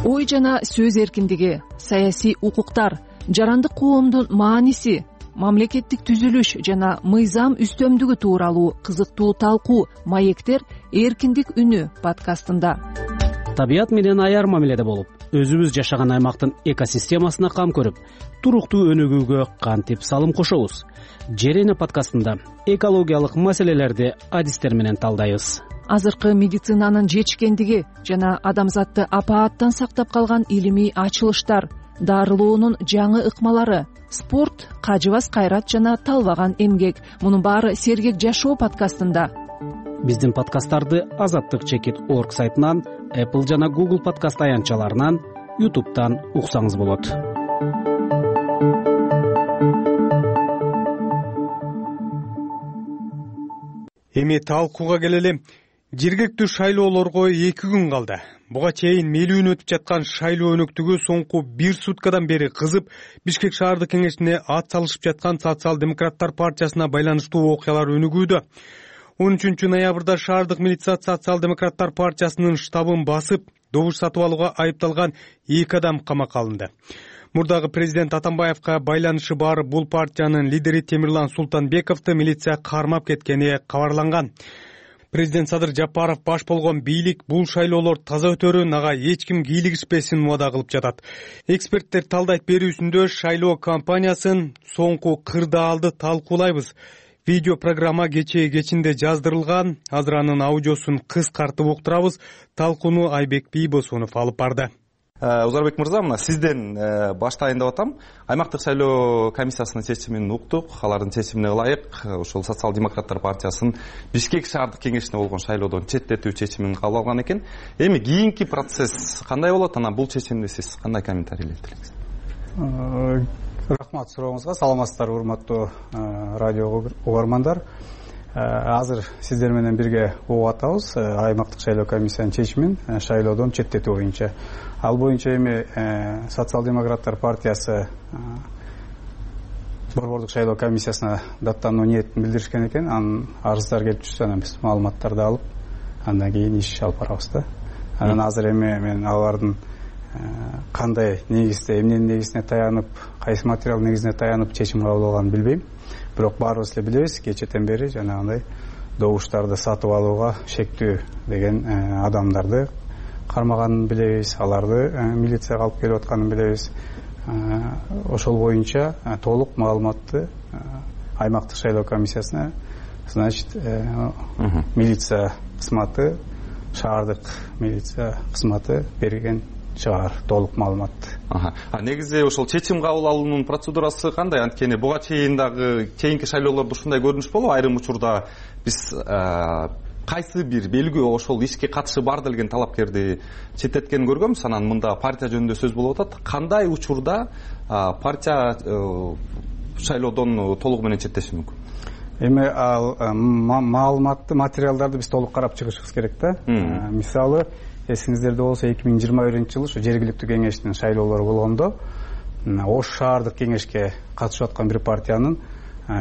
Ой жана сөз эркиндиги, саясий укуктар, жарандык коомдун мааниси, мамлекеттик түзүлүш жана мыйзам үстөмдүгү тууралуу кызыктуу талкуу маектер эркиндик үнү подкастында. Табият менен аяр мамиледе болуп, өзүбүз жашаган аймактын экосистемасына кам көрүп, туруктуу өнүгүүгө кантип салым кошобуз? Жер эне подкастында экологиялык маселелерди адистер менен талдайбыз. Азыркы медицинанын жетишкендиги жана адамзатты апааттан сактап калган илимий ачылыштар, дарылоонун жаңы ыкмалары, спорт, кажыбас кайрат жана талбаган эмгек. Мунун баары Сергек жашоо подкастында. Биздин подкасттарды Азаттык чекит орг сайтынан, Apple жана Google подкаст аянтчаларынан, YouTube'тан уксаңыз болот. Эми талкууга келели. Жергиликтүү шайлоолорго эки күн калды. Буга чейин мелүүн өтүп жаткан шайлоо өнөктүгү соңку бир суткадан бери кызып, Бишкек шаардык кеңешине ат салышып жаткан Социал-демократтар партиясына байланыштуу окуялар өнүгүүдө. он үчүнчү ноябрда шаардык милиция Социал-демократтар партиясынын штабын басып, добуш сатып алууга айыпталган эки адам камакка алынды. Мурдагы президент Атамбаевка байланышы бар бул партиянын лидери Темирлан Султанбековду милиция кармап кеткени кабарланган. Президент Садыр Жапаров баш болгон бийлик бул шайлоолор таза өтөрүн, ага эч ким кийлигишпесин убада кылып жатат. Эксперттер талдайт берүүсүндө шайлоо кампаниясын соңку кырдаалды талкуулайбыз. Видео программа кечээ кечинде жаздырылган. Азыр анын аудиосун кыскартып уктурабыз. Талкууну Айбек Бийбосунов алып барды. Узарбек мырза, мына сизден баштайын деп атам. Аймактык шайлоо комиссиясынын чечимин уктук. Алардын чечимине ылайык ошол Социал-демократтар партиясынын Бишкек шаардык кеңешине болгон шайлоодон четтетүү чечимин кабыл алган экен. Эми кийинки процесс кандай болот? Анан бул чечимди сиз кандай комментарийлеп элеңиз? Рахмат сурооңузга. Саламатсыздарбы, урматтуу радио угармандар. Азыр сиздер менен бирге угуп атабыз аймактык шайлоо комиссиянын чечимин шайлоодон четтетүү боюнча. Ал боюнча эми Социал-демократтар партиясы борбордук шайлоо комиссиясына даттануу ниетин билдиришкен экен. Анын арыздар келип түшсө, анан биз маалыматтарды алып, андан кийин иш алып барабыз да. Анан азыр эми мен алардын кандай негизде, эмненин негизине таянып, кайсы материал негизине таянып чечим кабыл алганын билбейм. Бирок баарыбыз эле билебиз, кечэтен бери жанагындай добуштарды сатып алууга шектүү деген адамдарды кармаганын билебиз, аларды милицияга алып келип атканын билебиз. Ошол боюнча толук маалыматты аймактык шайлоо комиссиясына, значит, милиция кызматы, шаардык милиция кызматы берген чыгар толук маалыматты. А негизи ошол чечим кабыл алуунун процедурасы кандай? Анткени буга чейин дагы кийинки шайлоолордо ушундай көрүнүш болуп, айрым учурда биз кайсы бир белгүү ошол ишке катышы бар делген талапкерди четтеткенин көргөнбүз. Анан мында партия жөнүндө сөз болуп атат. Кандай учурда партия шайлоодон толугу менен четтеши мүмкүн? Эми ал маалыматты, материалдарды биз толук карап чыгышыбыз керек да. Мисалы, эсиңиздерде болсо эки миң жыйырма биринчи жылы ушу жергиликтүү кеңештин шайлоолору болгондо Ош шаардык кеңешке катышып аткан бир партиянын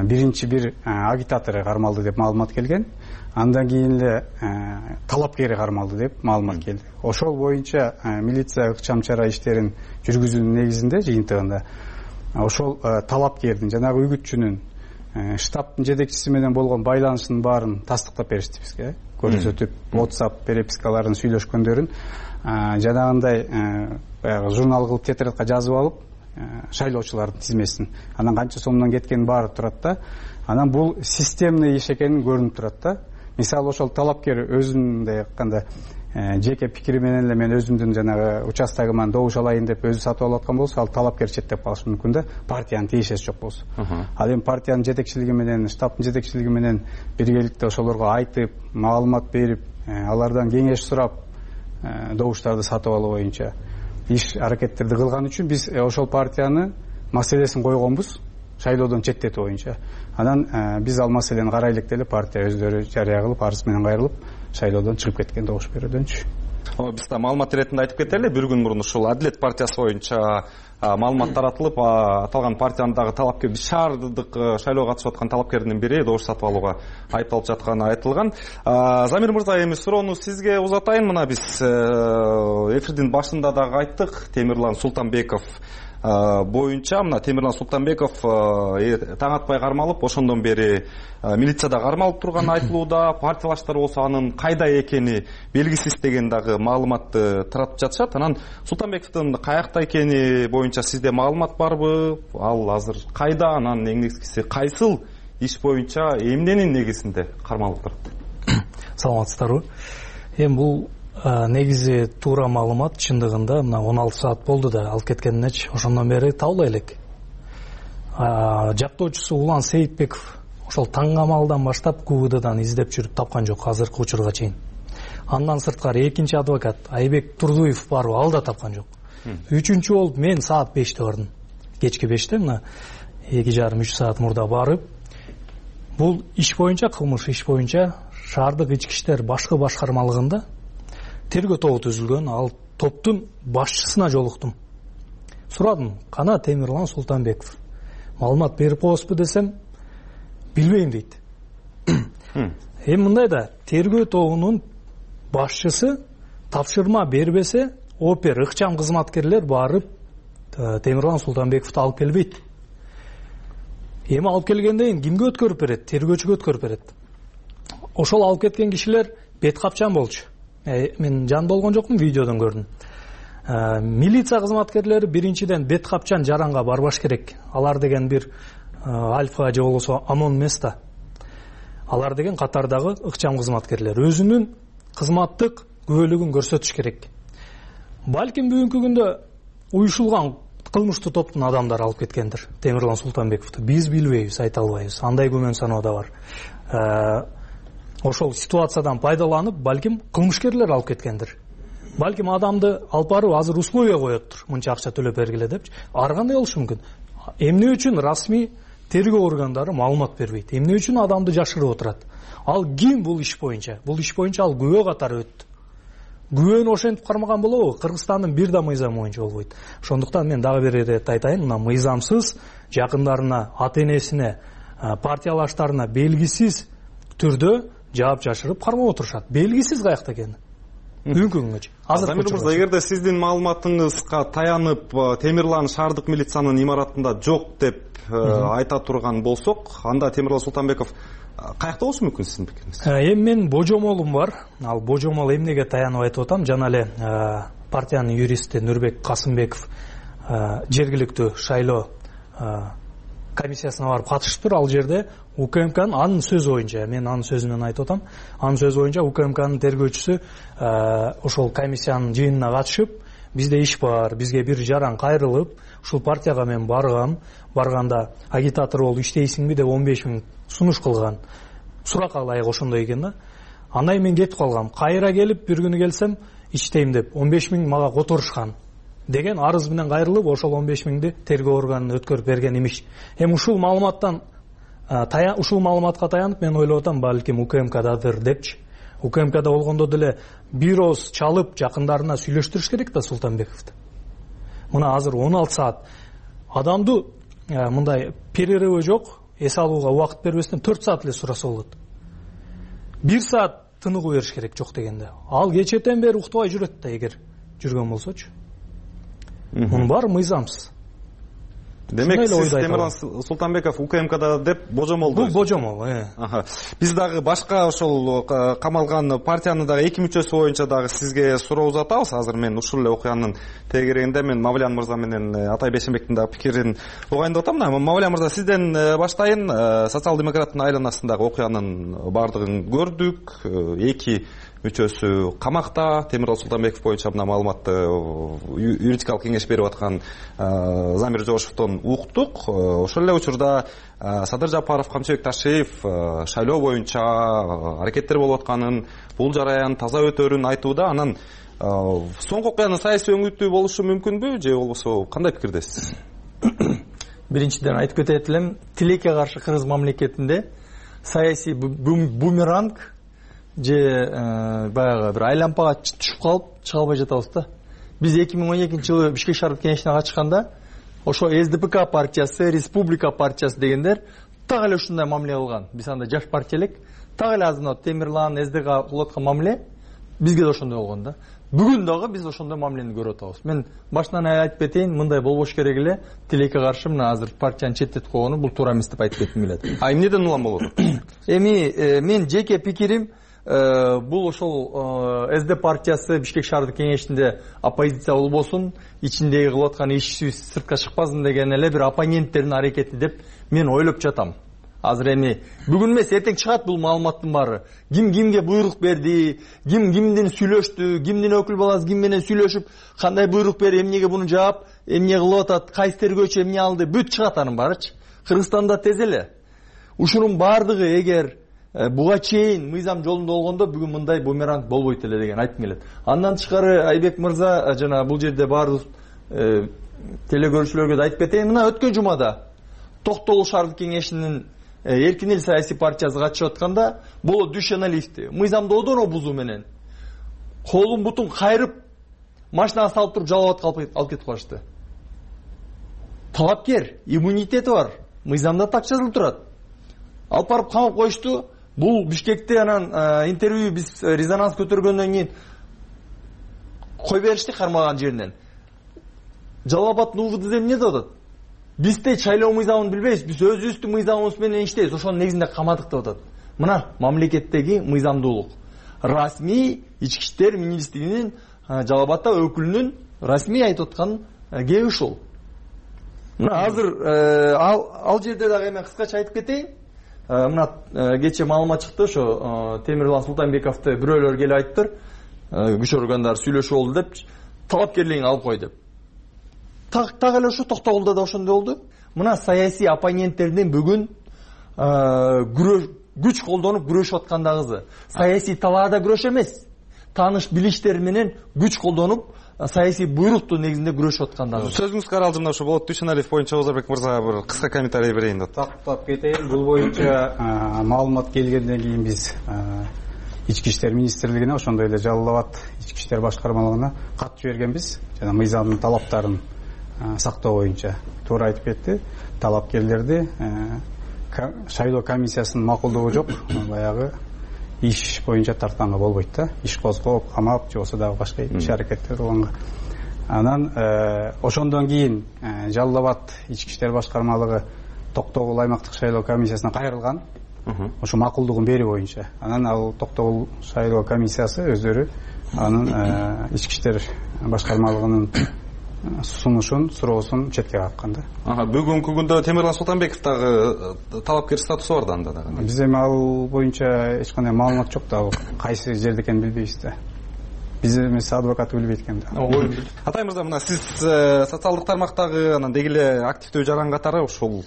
биринчи бир агитатору кармалды деп маалымат келген. Андан кийин эле талапкери кармалды деп маалымат келди. Ошол боюнча милиция ыкчам чара иштерин жүргүзүүнүн негизинде жыйынтыгында ошол талапкердин, жанагы үгүтчүнүн, штабтын жетекчиси менен болгон байланышынын баарын тастыктап беришти бизге. Көрсөтүп, WhatsApp перепискаларын сүйлөшкөндөрүн жанагындай баягы журнал кылып тетрадка жазып алып, шайлоочулардын тизмесин, анан канча сомдон кеткени баары турат да. Анан бул системный иш экени көрүнүп турат да. Мисалы, ошол талапкер өзүндөй айтканда жеке пикири менен эле мен өзүмдүн жанагы участогуман добуш алайын деп өзү сатып алып аткан болсо, ал талапкер четтеп калышы мүмкүн да, партиянын тиешеси жок болсо. Ал эми партиянын жетекчилиги менен, штабтын жетекчилиги менен биргеликте ошолорго айтып, маалымат берип, алардан кеңеш сурап, добуштарды сатып алуу боюнча иш аракеттерди кылган үчүн биз ошол партияны маселесин койгонбуз, шайлоодон четтетүү боюнча. Анан биз ал маселени карайлык деле партия өздөрү жарыя кылып, арыз менен кайрылып, шайлоодон чыгып кеткен добуш берүүдөнчү. Биз да маалымат иретинде айтып кетели, бир күн мурун ушул Адилет партиясы боюнча маалымат таратылып, аталган партиянын талапкер, шаардык шайлоого катышып аткан талапкердин бири добуш сатып алууга айыпталып жатканы айтылган. Замир мырза, эми суроону сизге узатайын. Мына биз эфирдин башында дагы айттык, Темирлан Султанбеков боюнча, мына Темирлан Султанбеков таң атпай кармалып, ошондон бери милицияда кармалып турганы айтылууда, партиялаштар болсо анын кайда экени белгисиз деген дагы маалыматты таратып жатышат. Анан Султанбековдун каякта экени боюнча сизде маалымат барбы? Ал азыр кайда? Анан эң негизгиси кайсыл иш боюнча эмненин негизинде кармалып турат? Саламатсыздарбы? Эми бул негизи туура маалымат, чындыгында мына он алты саат болду да алып кеткенинечи, ошондон бери табылбай элек. Жактоочусу Улан Сейитбеков ошол таң камалдан баштап КУВДдан издеп жүрүп тапкан жок азыркы учурга чейин. Андан сырткары экинчи адвокат Айбек Турдуев барбы, ал да тапкан жок. Үчүнчү болуп мен саат беште бардым. Кечки беште, мына эки жарым үч саат мурда барып, бул иш боюнча, кылмыш иш боюнча шаардык ички иштер башкы башкармалыгында тергөө тобу түзүлгөн. Ал топтун башчысына жолуктум. Сурадым, кана Темирлан Султанбеков маалымат берип коесузбу десем, билбейм дейт. Эми мындай да, тергөө тобунун башчысы тапшырма бербесе опер ыкчам кызматкерлер барып Темирлан Султанбековду алып келбейт. Эми алып келгенден кийин кимге өткөрүп берет? Тергөөчүгө өткөрүп берет. Ошол алып кеткен кишилер бет капчан болчу. Мен жан болгон жокмун, видеодон көрдүм. Милиция кызматкерлери биринчиден бет капчан жаранга барбаш керек. Алар деген бир альфа же болбосо ОМОН эмес да. Алар деген катардагы ыкчам кызматкерлер. Өзүнүн кызматтык күбөлүгүн көрсөтүш керек. Балким бүгүнкү күндө уюшулган кылмыштуу топтун адамдары алып кеткендир Темирлан Султанбековду. Биз билбейбиз, айта албайбыз. Андай күмөн саноо да бар. Ошол ситуациядан пайдаланып, балким кылмышкерлер алып кеткендир. Балким адамды алып барып азыр условия коёттур. Мынча акча төлөп бергиле депчи. Ар кандай болушу мүмкүн? Эмне үчүн расмий тергөө органдары маалымат бербейт? Эмне үчүн адамды жашырып отурат? Ал ким бул иш боюнча? Бул иш боюнча ал күбө катары өттү. Күбөнү ошентип кармаган болобу? Кыргызстандын бир да мыйзамы боюнча болбойт. Ошондуктан мен дагы бир ирет айтайын, мына мыйзамсыз жакындарына, ата энесине, партиялаштарына белгисиз түрдө жаап жашырып кармап отурушат. Белгисиз каякта экени. Бүгүнкү күнгөчү. Азыр мырза, эгерде сиздин маалыматыңызга таянып Темирлан шаардык милициянын имаратында жок деп айта турган болсок, анда Темирлан Султанбеков каякта болушу мүмкүн сиздин пикириңиз? Эми менин божомолум бар. Ал божомол эмнеге таянып айтып атам? Жана эле партиянын юристи Нурбек Касымбеков жергиликтүү шайлоо комиссиясына барып катышыптыр. Ал жерде УКМКнын анын сөзү боюнча, мен анын сөзүнөн айтып атам, анын сөзү боюнча УКМКнын тергөөчүсү ошол комиссиянын жыйынына катышып, бизде иш бар, бизге бир жаран кайрылып, ушул партияга мен баргам, барганда агитатор болуп иштейсиңби деп он беш миң сунуш кылган. Суракка ылайык ошондой экен да. Андан мен кетип калгам. Кайра келип бир күнү келсем, иштейм деп он беш миң мага которушкан деген арыз менен кайрылып, ошол он беш миңди тергөө органына өткөрүп берген имиш. Эми ушул маалыматтан ушул маалыматка таянып мен ойлоп атам, балким УКМКдадыр депчи. УКМКда болгондо деле бир ооз чалып жакындарына сүйлөштүрүш керек да Султанбековду. Мына азыр он алты саат адамды мындай перерывы жок, эс алууга убакыт бербестен төрт саат эле сураса болот. бир саат тыныгуу бериш керек жок дегенде. Ал кечетен бери уктабай жүрөт да, эгер жүргөн болсочу. Мунун баары мыйзамсыз. Демек сиз Темирлан Султанбеков УКМКда деп божомол. Бул божомол, э. Биз дагы башка ошол камалган партиянын дагы эки мүчөсү боюнча дагы сизге суроо узатабыз. Азыр мен ушул эле окуянын тегерегинде мен Мавлян мырза менен Атай Бейшенбектин дагы пикирин угайын деп атам. Мавлян мырза, сизден баштайын. Социал-демократтын айланасындагы окуянын баардыгын көрдүк. Эки мүчөсү камакта. Темирлан Султанбеков боюнча мына маалыматты юридикалык кеңеш берип аткан Замир Жошевдон уктук. Ошол эле учурда Садыр Жапаров, Камчыбек Ташиев шайлоо боюнча аракеттер болуп атканын, бул жараян таза өтөрүн айтууда. Анан соңку окуянын саясий өңүтү болушу мүмкүнбү же болбосо кандай пикирдесиз? Биринчиден айтып кетет элем, тилекке каршы кыргыз мамлекетинде саясий бумеранг же баягы бир айлампага түшүп калып чыга албай жатабыз да. Биз эки миң он экинчи жылы Бишкек шаардык кеңешине катышканда ошо эс ди пи ка партиясы, Республика партиясы дегендер так эле ушундай мамиле кылган. Биз анда жаш партия элек, так эле азыр Темирлан, эс ди га кылып аткан мамиле бизге да ошондой болгон да. Бүгүн дагы биз ошондой мамилени көрүп атабыз. Мен башынан айтып кетейин, мындай болбош керек эле. Тилекке каршы мына азыр партияны четтетип койгону бул туура эмес деп айтып кетким келет. А эмнеден улам болот? Эми мен жеке пикирим, бул ошол эс ди партиясы Бишкек шаардык кеңешинде оппозиция болбосун, ичиндеги кылып аткан иш сыртка чыкпасын деген эле бир оппоненттердин аракети деп мен ойлоп жатам. Азыр эми бүгүн эмес, эртең чыгат бул маалыматтын баары. Ким кимге буйрук берди, ким кимдин сүйлөштү, кимдин өкүл баласы ким менен сүйлөшүп, кандай буйрук берип, эмнеге буну жаап, эмне кылып атат, кайсы тергөөчү эмне алды, бүт чыгат анын баарычы. Кыргызстанда тез эле. Ушунун баардыгы эгер буга чейин мыйзам жолунда болгондо бүгүн мындай бумеранг болбойт эле деген айткым келет. Андан тышкары Айбек мырза жана бул жерде баардык телекөрүүчүлөргө да айтып кетейин. Мына өткөн жумада Токтогул шаардык кеңешинин Эркин эл саясий партиясы катышып атканда боло дүйшөналисти мыйзамды одоно бузуу менен колун бутун кайрып машинага салып туруп жалап алып кетип калышты. Талапкер, иммунитети бар, мыйзамда так жазылып турат. Алып барып камап коюшту. Бул Бишкекте анан интервью биз резонанс көтөргөндөн кийин кой беришти кармаган жеринен. Жалал Абадтын УВД эмне деп атат? Биз те шайлоо мыйзамын билбейбиз, биз өзүбүздүн мыйзамыбыз менен иштейбиз, ошонун негизинде камадык деп атат. Мына мамлекеттеги мыйзамдуулук. Расмий ички иштер министрлигинин Жалал Абадта өкүлүнүн расмий айтып аткан кеби ушул. Мына азыр ал ал жерде дагы эми кыскача айтып кетейин. Мына кечээ маалымат чыкты, ошо Темирлан Султанбековду бирөөлөр келип айтыптыр. Күч органдары сүйлөшүп болду деп, талапкерлигин алып кой деп. Так так эле ушу Токтогулда да ошондой болду. Мына саясий оппоненттердин бүгүн күч колдонуп күрөшүп аткандагысы. Саясий талаада күрөш эмес. Тааныш билиштер менен күч колдонуп саясий буйруктун негизинде күрөшүп аткандагы. Сөзүңүз каралжымда ушу болот. Дүйшөналиев боюнча Озорбек мырза бир кыска комментарий берейин деп. Тактап кетейин. Бул боюнча маалымат келгенден кийин биз ички иштер министрлигине, ошондой эле Жалал Абад ички иштер башкармалыгына кат жибергенбиз. Жана мыйзамдын талаптарын сактоо боюнча туура айтып кетти. Талапкерлерди шайлоо комиссиясынын макулдугу жок, баягы иш боюнча тартканга болбойт да. Иш козгоп, камап, же болбосо дагы башка иш аракеттер кылганга. Анан ошондон кийин Жалал Абад ички иштер башкармалыгы Токтогул аймактык шайлоо комиссиясына кайрылган. Ошо макулдугун берүү боюнча. Анан ал Токтогул шайлоо комиссиясы өздөрү анын ички иштер башкармалыгынын сунушун, суроосун четке каккан да. Бүгүнкү күндө Темирлан Султанбеков дагы талапкер статусу бар да анда дагы. Биз эми ал боюнча эч кандай маалымат жок да, кайсы жерде экенин билбейбиз да. Биз эмес адвокат билбейт экен да. Атай мырза, мына сиз социалдык тармактагы анан деги эле активдүү жаран катары ушул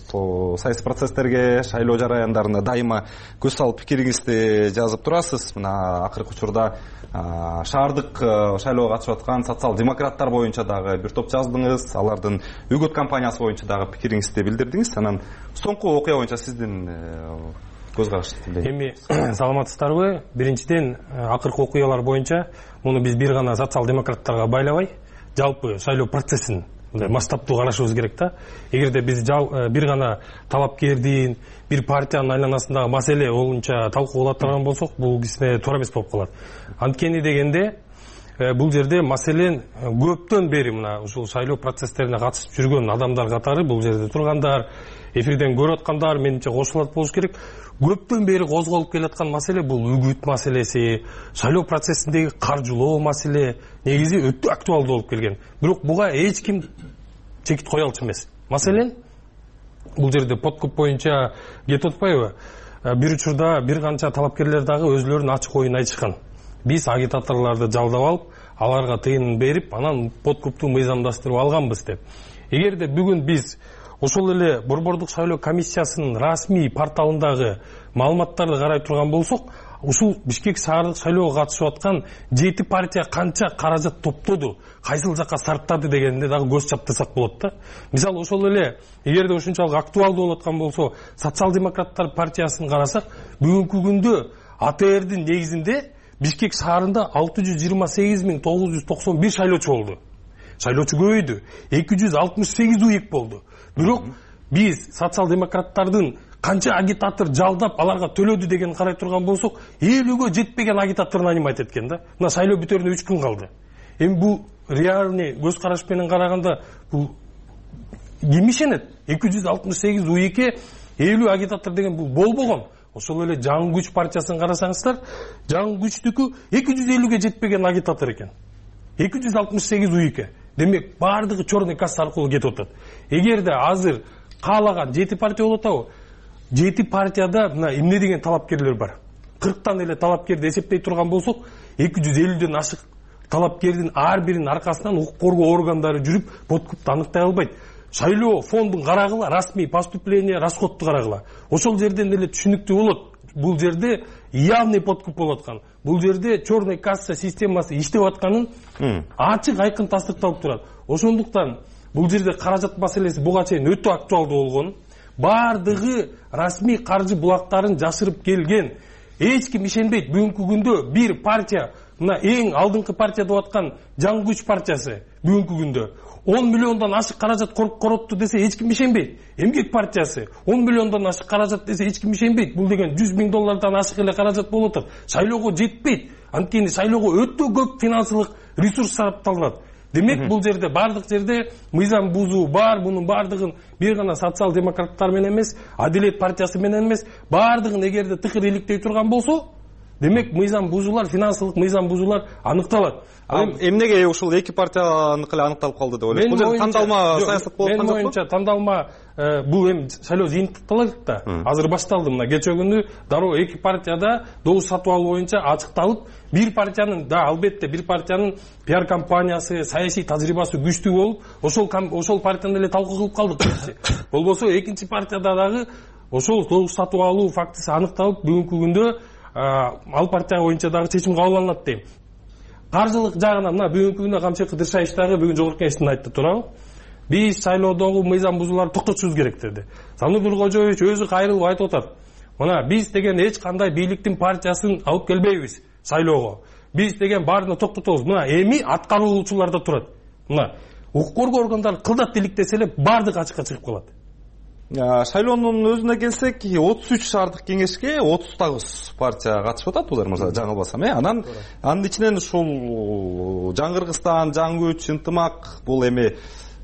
саясий процесстерге, шайлоо жараяндарына дайыма көз салып пикириңизди жазып турасыз. Мына акыркы учурда шаардык шайлоого катышып аткан социал-демократтар боюнча дагы бир топ жаздыңыз, алардын үгөт кампаниясы боюнча дагы пикириңизди билдирдиңиз. Анан соңку окуя боюнча сиздин көз карашыңызды. Эми саламатсыздарбы? Биринчиден, акыркы окуялар боюнча муну биз бир гана социал-демократтарга байлабай, жалпы шайлоо процессин масштабтуу карашыбыз керек да. Эгерде биз бир гана талапкердин, бир партиянын айланасындагы маселе боюнча талкуулап турган болсок, бул кичине туура эмес болуп калат. Анткени дегенде бул жерде маселен көптөн бери мына ушул шайлоо процесстерине катышып жүргөн адамдар катары, бул жерде тургандар, эфирден көрүп аткандар менимче кошулат болуш керек. Көптөн бери козголуп келаткан маселе бул үгүт маселеси, шайлоо процессиндеги каржылоо маселе негизи өтө актуалдуу болуп келген. Бирок буга эч ким чекит кое алчу эмес. Маселен, бул жерде подкуп боюнча кетип атпайбы? Бир учурда бир канча талапкерлер дагы өзлөрүнүн ачык оюн айтышкан. Биз агитаторлорду жалдап алып, аларга тыйын берип, анан подкупту мыйзамдаштырып алганбыз деп. Эгерде бүгүн биз ошол эле Борбордук шайлоо комиссиясынын расмий порталындагы маалыматтарды карай турган болсок, ушул Бишкек шаардык шайлоого катышып аткан жети партия канча каражат топтоду, кайсыл жакка сарптады дегенде дагы көз чаптырсак болот да. Мисалы ошол эле эгерде ушунчалык актуалдуу болуп аткан болсо, социал-демократтар партиясын карасак, бүгүнкү күндө А Т Рдин негизинде Бишкек шаарында алты жүз жыйырма сегиз миң тогуз жүз токсон бир шайлоочу болду. Шайлоочу көбөйдү. эки жүз алтымыш сегиз уйк болду. Бирок биз социал-демократтардын канча агитатор жалдап аларга төлөдү деген карай турган болсок, элүүгө жетпеген агитаторун анимайт эткен да. Мына шайлоо бүтөрүнө үч күн калды. Эми бул реальный көз караш менен караганда бул ким ишенет? эки жүз алтымыш сегиз уйкке элүү агитатор деген бул болбогон. Ошол эле Жаңы күч партиясын карасаңыздар, Жаңы күчтүкү эки жүз элүүгө жетпеген агитатор экен. эки жүз алтымыш сегиз уйкке. Демек баардыгы черный касса аркылуу кетип атат. Эгерде азыр каалаган жети партия болуп атабы? жети партияда мына эмне деген талапкерлер бар. кырктан эле талапкерди эсептей турган болсок, эки жүз элүүдөн ашык талапкердин ар биринин аркасынан укук коргоо органдары жүрүп, подкупту аныктай албайт. Шайлоо фондун карагыла, расмий поступление, расходту карагыла. Ошол жерден эле түшүнүктүү болот. Бул жерде явный подкуп болуп аткан. Бул жерде черный касса системасы иштеп атканын ачык айкын тастыкталып турат. Ошондуктан бул жерде каражат маселеси буга чейин өтө актуалдуу болгон. Бардыгы расмий каржы булактарын жашырып келген. Эч ким ишенбейт. Бүгүнкү күндө бир партия, мына эң алдыңкы партия деп аткан Жаңы күч партиясы бүгүнкү күндө он миллиондон ашык каражат коротту десе эч ким ишенбейт. Эмгек партиясы он миллиондон ашык каражат десе эч ким ишенбейт. Бул деген жүз миң доллардан ашык эле каражат болуп атат. Шайлоого жетпейт. Анткени шайлоого өтө көп финансылык ресурс сарапталынат. Демек бул жерде бардык жерде мыйзам бузуу бар. Мунун бардыгын бир гана социал демократтар менен эмес, Адилет партиясы менен эмес, бардыгын эгерде тыкыр иликтей турган болсо, демек мыйзам бузуулар, финансылык мыйзам бузуулар аныкталат. Эмнеге ушул эки партияныкы эле аныкталып калды деп ойлойсуз? Бул жерде тандалма саясат болуп аткан жокпу? Менин оюмча тандалма бул эми шайлоо жыйынтыкталат да. Азыр башталды. Мына кечээ күнү дароо эки партияда добуш сатып алуу боюнча ачыкталып, бир партиянын да албетте бир партиянын пиар компаниясы, саясий тажрыйбасы күчтүү болуп, ошол ошол партияны эле талкуу кылып калдык биринчи. Болбосо экинчи партияда дагы ошол добуш сатып алуу фактысы аныкталып, бүгүнкү күндө ал партия боюнча дагы чечим кабыл алынат дейм. Каржылык жагынан мына бүгүнкү күндө Камчы Кыдыршаевич дагы бүгүн жогорку кеңештин айтты туурабы? Биз шайлоодогу мыйзам бузууларды токтотушубуз керек деди. Занур Нуркожоевич өзү кайрылып айтып атат. Мына биз деген эч кандай бийликтин партиясын алып келбейбиз шайлоого. Биз деген баарын токтотобуз. Мына эми аткаруучуларда турат. Мына укук коргоо органдары кылдат иликтесе эле баардыгы ачыкка чыгып калат. Шайлоонун өзүнө келсек, отуз үч шаардык кеңешке отуз тогуз партия катышып атат, булар мырза жаңылбасам, э? Анан анын ичинен ушул Жаңы Кыргызстан, Жаңы Күч, Ынтымак, бул эми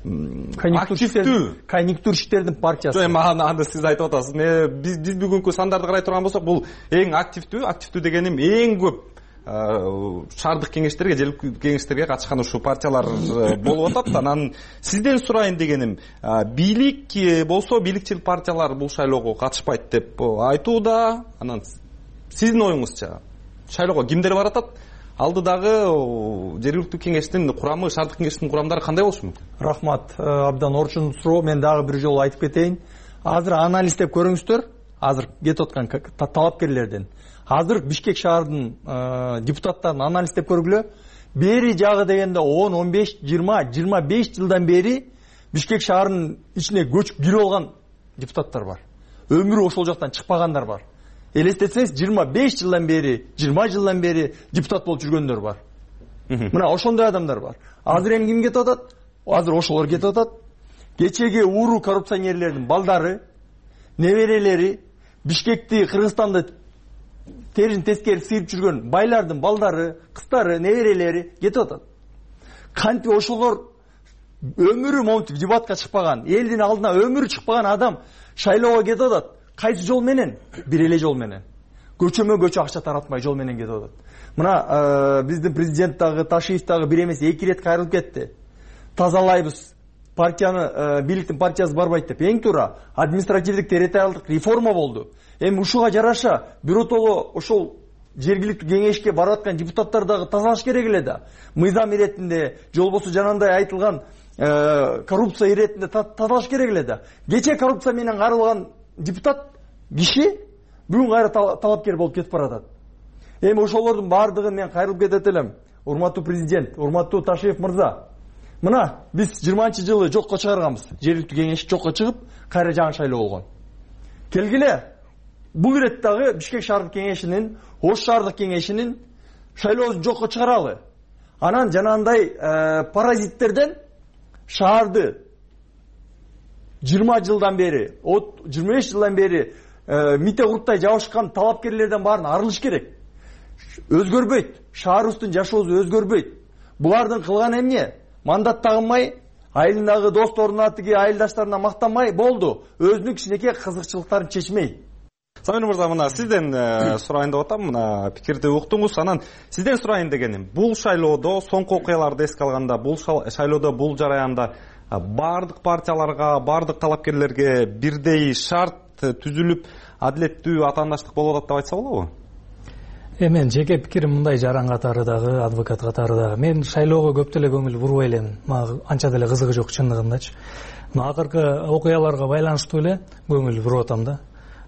активдүү конъюнктурщиктердин партиясы. Эми аны сиз айтып атасыз. Биз биз бүгүнкү сандарды карай турган болсок, бул эң активдүү, активдүү дегеним эң көп шаардык кеңештерге, желиликтүү кеңештерге катышкан ушул партиялар болуп атат. Анан сизден сурайын дегеним, бийлик болсо, бийликчил партиялар бул шайлоого катышпайт деп айтууда. Анан сиздин оюңузча шайлоого кимдер баратат? Алдыдагы жергиликтүү кеңештин курамы, шаардык кеңештин курамдары кандай болушу мүмкүн? Рахмат, абдан орчун суроо. Мен дагы бир жолу айтып кетейин. Азыр анализ деп көрүңүздөр. Азыр кетип аткан талапкерлерден. Азыр Бишкек шаарынын депутаттарын анализ деп көргүлө. Бери жагы дегенде он, он беш, жыйырма, жыйырма беш жылдан бери Бишкек шаарынын ичине көчүп кирип алган депутаттар бар. Өмүрү ошол жактан чыкпагандар бар. Элестетсеңиз, жыйырма беш жылдан бери, жыйырма жылдан бери депутат болуп жүргөндөр бар. Мына ошондой адамдар бар. Азыр эми ким кетип атат? Азыр ошолор кетип атат. Кечеги ууру коррупционерлердин балдары, неберелери, Бишкекти, Кыргызстанды терин тескери сыйып жүргөн байлардын балдары, кыздары, неберелери кетип атат. Кантип ошолор өмүрү монтип дебатка чыкпаган, элдин алдына өмүрү чыкпаган адам шайлоого кетип атат. Кайсы жол менен? Бир эле жол менен. Көчөмө көчө акча таратмай жол менен кетип атат. Мына биздин президент дагы, Ташиев дагы бир эмес эки ирет кайрылып кетти. Тазалайбыз, партияны, бийликтин партиясы барбайт деп. Эң туура административдик территориалдык реформа болду. Эми ушуга жараша биротоло ошол жергиликтүү кеңешке барып аткан депутаттар дагы тазалаш керек эле да. Мыйзам иретинде, же болбосо жанагындай айтылган коррупция иретинде тазалаш керек эле да. Кече коррупция менен каралган депутат киши бүгүн кайра талапкер болуп кетип баратат. Эми ошолордун баардыгын мен кайрылып кетет элем. Урматтуу президент, урматтуу Ташиев мырза. Мына биз жыйырманчы жылы жокко чыгарганбыз. Жергиликтүү кеңеш жокко чыгып, кайра жаңы шайлоо болгон. Келгиле, бул ирет дагы Бишкек шаардык кеңешинин, Ош шаардык кеңешинин шайлоосун жокко чыгаралы. Анан жанагындай паразиттерден шаарды жыйырма жылдан бери, жыйырма беш жылдан бери мите курттай жабышкан талапкерлерден баарын арылыш керек. Өзгөрбөйт. Шаарыбыздын жашоосу өзгөрбөйт. Булардын кылганы эмне? Мандат тагынмай, айылындагы досторуна, тиги айылдаштарына мактанмай болду. Өзүнүн кичинекей кызыкчылыктарын чечмей. Самир мырза, мына сизден сурайын деп атам, мына пикирди уктуңуз. Анан сизден сурайын дегеним, бул шайлоодо соңку окуяларды эске алганда, бул шайлоодо, бул жараянда бардык партияларга, бардык талапкерлерге бирдей шарт түзүлүп, адилеттүү атаандаштык болуп атат деп айтса болобу? Эми мен жеке пикирим мындай, жаран катары дагы, адвокат катары дагы. Мен шайлоого көп деле көңүл бурбай элем. Мага анча деле кызыгы жок чындыгындачы. Мына акыркы окуяларга байланыштуу эле көңүл буруп атам да.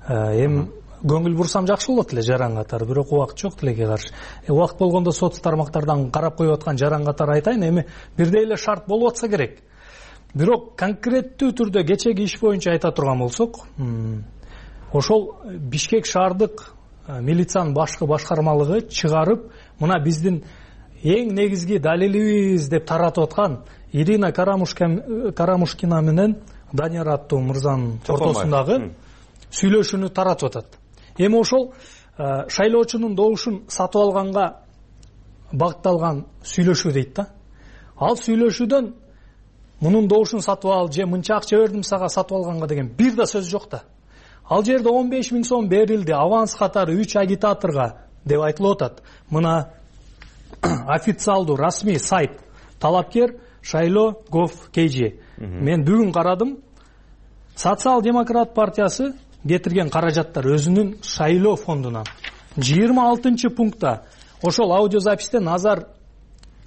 Эми көңүл бурсам жакшы болот эле жаран катары, бирок убакыт жок тилекке каршы. Убакыт болгондо соц тармактардан карап коюп аткан жаран катары айтайын, эми бирдей эле шарт болуп атса керек. Бирок конкреттүү түрдө кечеги иш боюнча айта турган болсок, ошол Бишкек шаардык милициянын башкы башкармалыгы чыгарып, мына биздин эң негизги далилибиз деп таратып аткан Ирина Карамушкина менен Данияр аттуу мырзанын ортосундагы сүйлөшүүнү таратып атат. Эми ошол шайлоочунун добушун сатып алганга багытталган сүйлөшүү дейт да. Ал сүйлөшүүдөн мунун добушун сатып ал же мынча акча бердим сага сатып алганга деген бир да сөз жок да. Ал жерде он беш миң сом берилди аванс катары үч агитаторго деп айтылып атат. Мына официалдуу расмий сайт талапкер Шайлоо Гов Кейжи. Мен бүгүн карадым. Социал-демократ партиясы кетирген каражаттар өзүнүн Шайлоо фондунан. жыйырма алтынчы пунктта ошол аудиозаписте Назар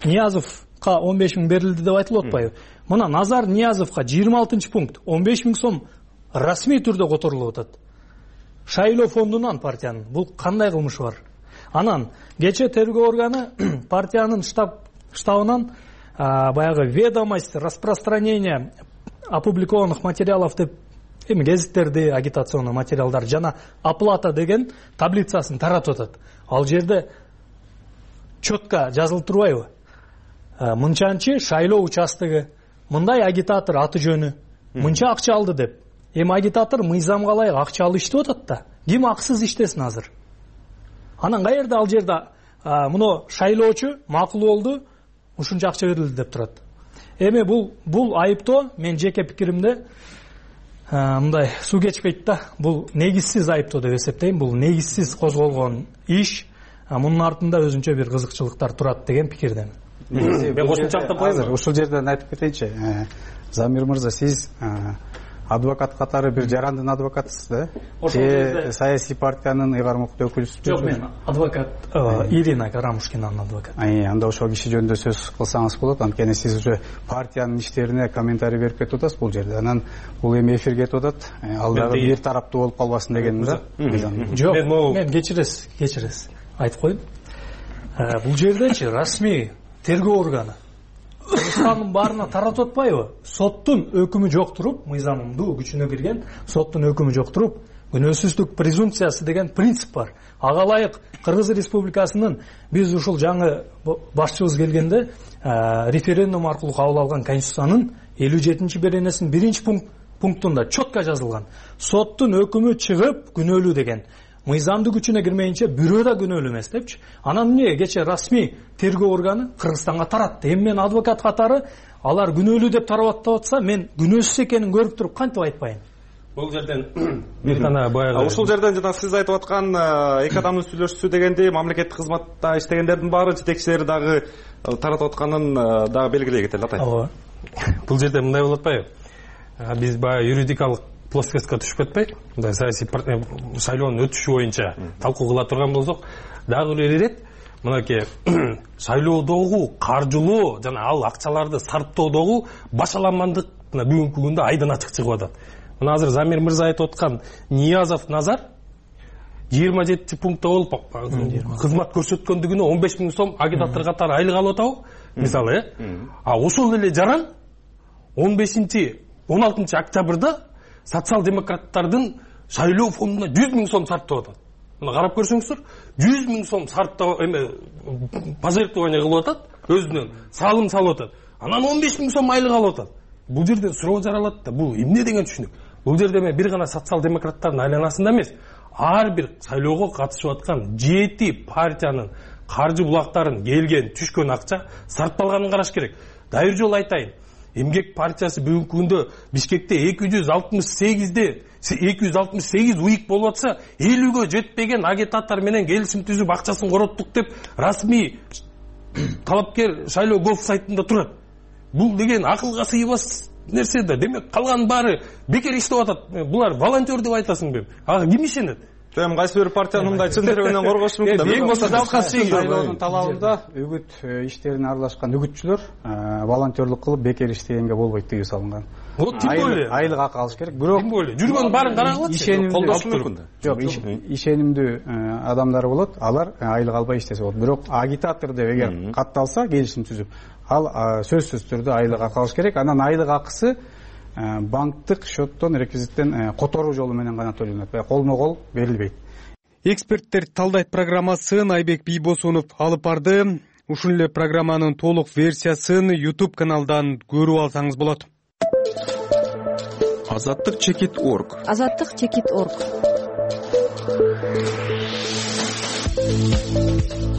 Ниязовго он беш миң берилди деп айтылып атпайбы? Мына Назар Ниязовго жыйырма алтынчы пункт он беш миң сом расмий түрдө которулуп атат. Шайлоо фондунан партиянын. Бул кандай кылмыш бар? Анан кече тергөө органы партиянын штаб штабынан баягы ведомость распространения опубликованных материалов деп эми гезиттерди, агитационный материалдар жана оплата деген таблицасын таратып атат. Ал жерде четко жазылып турбайбы? Мынчанчы шайлоо участогу, мындай агитатор аты жөнү, мынча акча алды деп. Эми агитатор мыйзамга ылайык акча алып иштеп атат да. Ким аксыз иштесин азыр? Анан каерде ал жерде муну шайлоочу макул болду, ушунча акча берилди деп турат. Эми бул бул айыптоо мен жеке пикиримде мындай суу кечпейт да. Бул негизсиз айыптоо деп эсептейм. Бул негизсиз козголгон иш. Мунун артында өзүнчө бир кызыкчылыктар турат деген пикирдемин. Мен кошумча айтып коеюн. Ушул жерден айтып кетейинчи. Замир мырза, сиз адвокат катары бир жарандын адвокатысыз да? Же саясий партиянын ыйгармыктуу өкүлүсүз? Жок, мен адвокат Ирина Карамушкинанын адвокаты. Анда ошол киши жөнүндө сөз кылсаңыз болот. Анткени сиз уже партиянын иштерине комментарий берип кетип атасыз бул жерде. Анан бул эми эфирге кетип атат. Ал дагы бир тараптуу болуп калбасын дегеним да. Жок, мен кечиресиз, кечиресиз. Айтып коеюн. Бул жердечи расмий тергөө органы Кыргызстандын баарына таратып атпайбы? Соттун өкүмү жок туруп, мыйзамдуу күчүнө кирген соттун өкүмү жок туруп, күнөөсүздүк презумпциясы деген принцип бар. Ага ылайык Кыргыз Республикасынын биз ушул жаңы башчыбыз келгенде референдум аркылуу кабыл алган Конституциянын элүү жетинчи беренесинин биринчи пунктунда четко жазылган. Соттун өкүмү чыгып күнөөлүү деген. Мыйзамдуу күчүнө кирмейинче бирөө да күнөөлүү эмес депчи. Анан эмне кече расмий тергөө органы Кыргызстанга таратты. Эми мен адвокат катары алар күнөөлүү деп тарап атса, мен күнөөсүз экенин көрүп туруп кантип айтпайын? Бул жерден бир гана баягы ушул жерден жана сиз айтып аткан эки адамдын сүйлөшүүсү дегенди мамлекеттик кызматта иштегендердин баары жетекчилери дагы таратып атканын дагы белгилей кетели атай. Ооба. Бул жерде мындай болуп атпайбы? Биз баягы юридикалык плоскостька түшүп кетпей, мындай саясий шайлоонун өтүшү боюнча талкуу кыла турган болсок, дагы бир ирет мынакей шайлоодогу каржылоо жана ал акчаларды сарптоодогу башаламандык бүгүнкү күндө айдан ачык чыгып атат. Мына азыр Замир мырза айтып аткан Ниязов Назар жыйырма жетинчи пунктта болуп кызмат көрсөткөндүгүнө он беш миң сом агитатор катары айлык алып атабы? Мисалы, э? А ошол эле жаран он бешинчи он алтынчы октябрда социал-демократтардын шайлоо фондуна жүз миң сом сарптап атат. Мына карап көрсөңүздөр, жүз миң сом сарптап эме пожертвование кылып атат, өзүнөн салым салып атат. Анан он беш миң сом айлык алып атат. Бул жерде суроо жаралат да, бул эмне деген түшүнүк? Бул жерде эме бир гана социал-демократтардын айланасында эмес, ар бир шайлоого катышып аткан жети партиянын каржы булактарын келген, түшкөн акча сарпталганын караш керек. Дагы бир жолу айтайын. Эмгек партиясы бүгүнкү күндө Бишкекте эки жүз алтымыш сегизде эки жүз алтымыш сегиз уйк болуп атса, элүүгө жетпеген агитатор менен келишим түзүп акчасын короттук деп расмий талапкер Шайлоо Гов сайтында турат. Бул деген акылга сыйбас нерсе да. Демек калган баары бекер иштеп атат. Булар волонтер деп айтасыңбы? Ага ким ишенет? Эми кайсы бир партиянын мындай чын жүрөгүнөн коргош мүмкүн да. Эң болсо шайлоонун талабында үгүт иштерине аралашкан үгүтчүлөр волонтерлук кылып бекер иштегенге болбойт тыюу салынган. Вот тим более айлык акы алыш керек. Бирок тим более жүргөн баарын карагылачы. Колдош мүмкүн да. Жок, ишенимдүү адамдар болот, алар айлык албай иштесе болот. Бирок агитатор деп эгер катталса, келишим түзүп, ал сөзсүз түрдө айлык акы алыш керек. Анан айлык акысы банктык счеттон, реквизиттен которуу жолу менен гана төлөнөт. Колмо кол берилбейт. Эксперттер талдайт программасын Айбек Бийбосунов алып барды. Ушул эле программанын толук версиясын YouTube каналдан көрүп алсаңыз болот. азаттык чекит орг. азаттык чекит орг.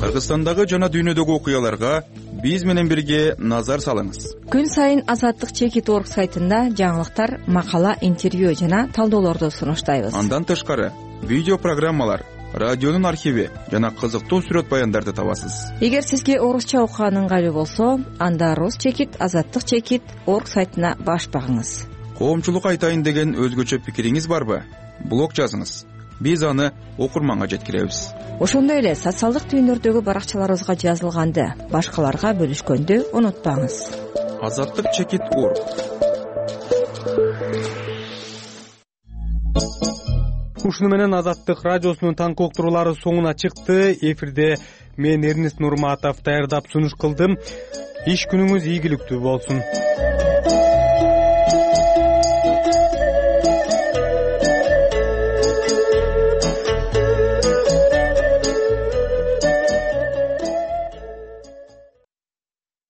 Кыргызстандагы жана дүйнөдөгү окуяларга биз менен бирге назар салыңыз. Күн сайын Азаттык чекит орг сайтында жаңылыктар, макала, интервью жана талдоолорду сунуштайбыз. Андан тышкары видео программалар, радионун архиви жана кызыктуу сүрөт баяндарды табасыз. Эгер сизге орусча окуган ыңгайлуу болсо, анда Рус чекит, Азаттык чекит орг сайтына баш багыңыз. Коомчулук айтайын деген өзгөчө пикириңиз барбы? Блог жазыңыз. Биз аны окурманга жеткиребиз. Ошондой эле социалдык түйүндөрдөгү баракчаларыбызга жазылганды башкаларга бөлүшкөндү унутпаңыз. Азаттык чекит орг. Ушуну менен Азаттык радиосунун таңкы уктуруулары соңуна чыкты. Эфирде мен Эрнест Нурматов даярдап сунуш кылдым. Иш күнүңүз ийгиликтүү болсун.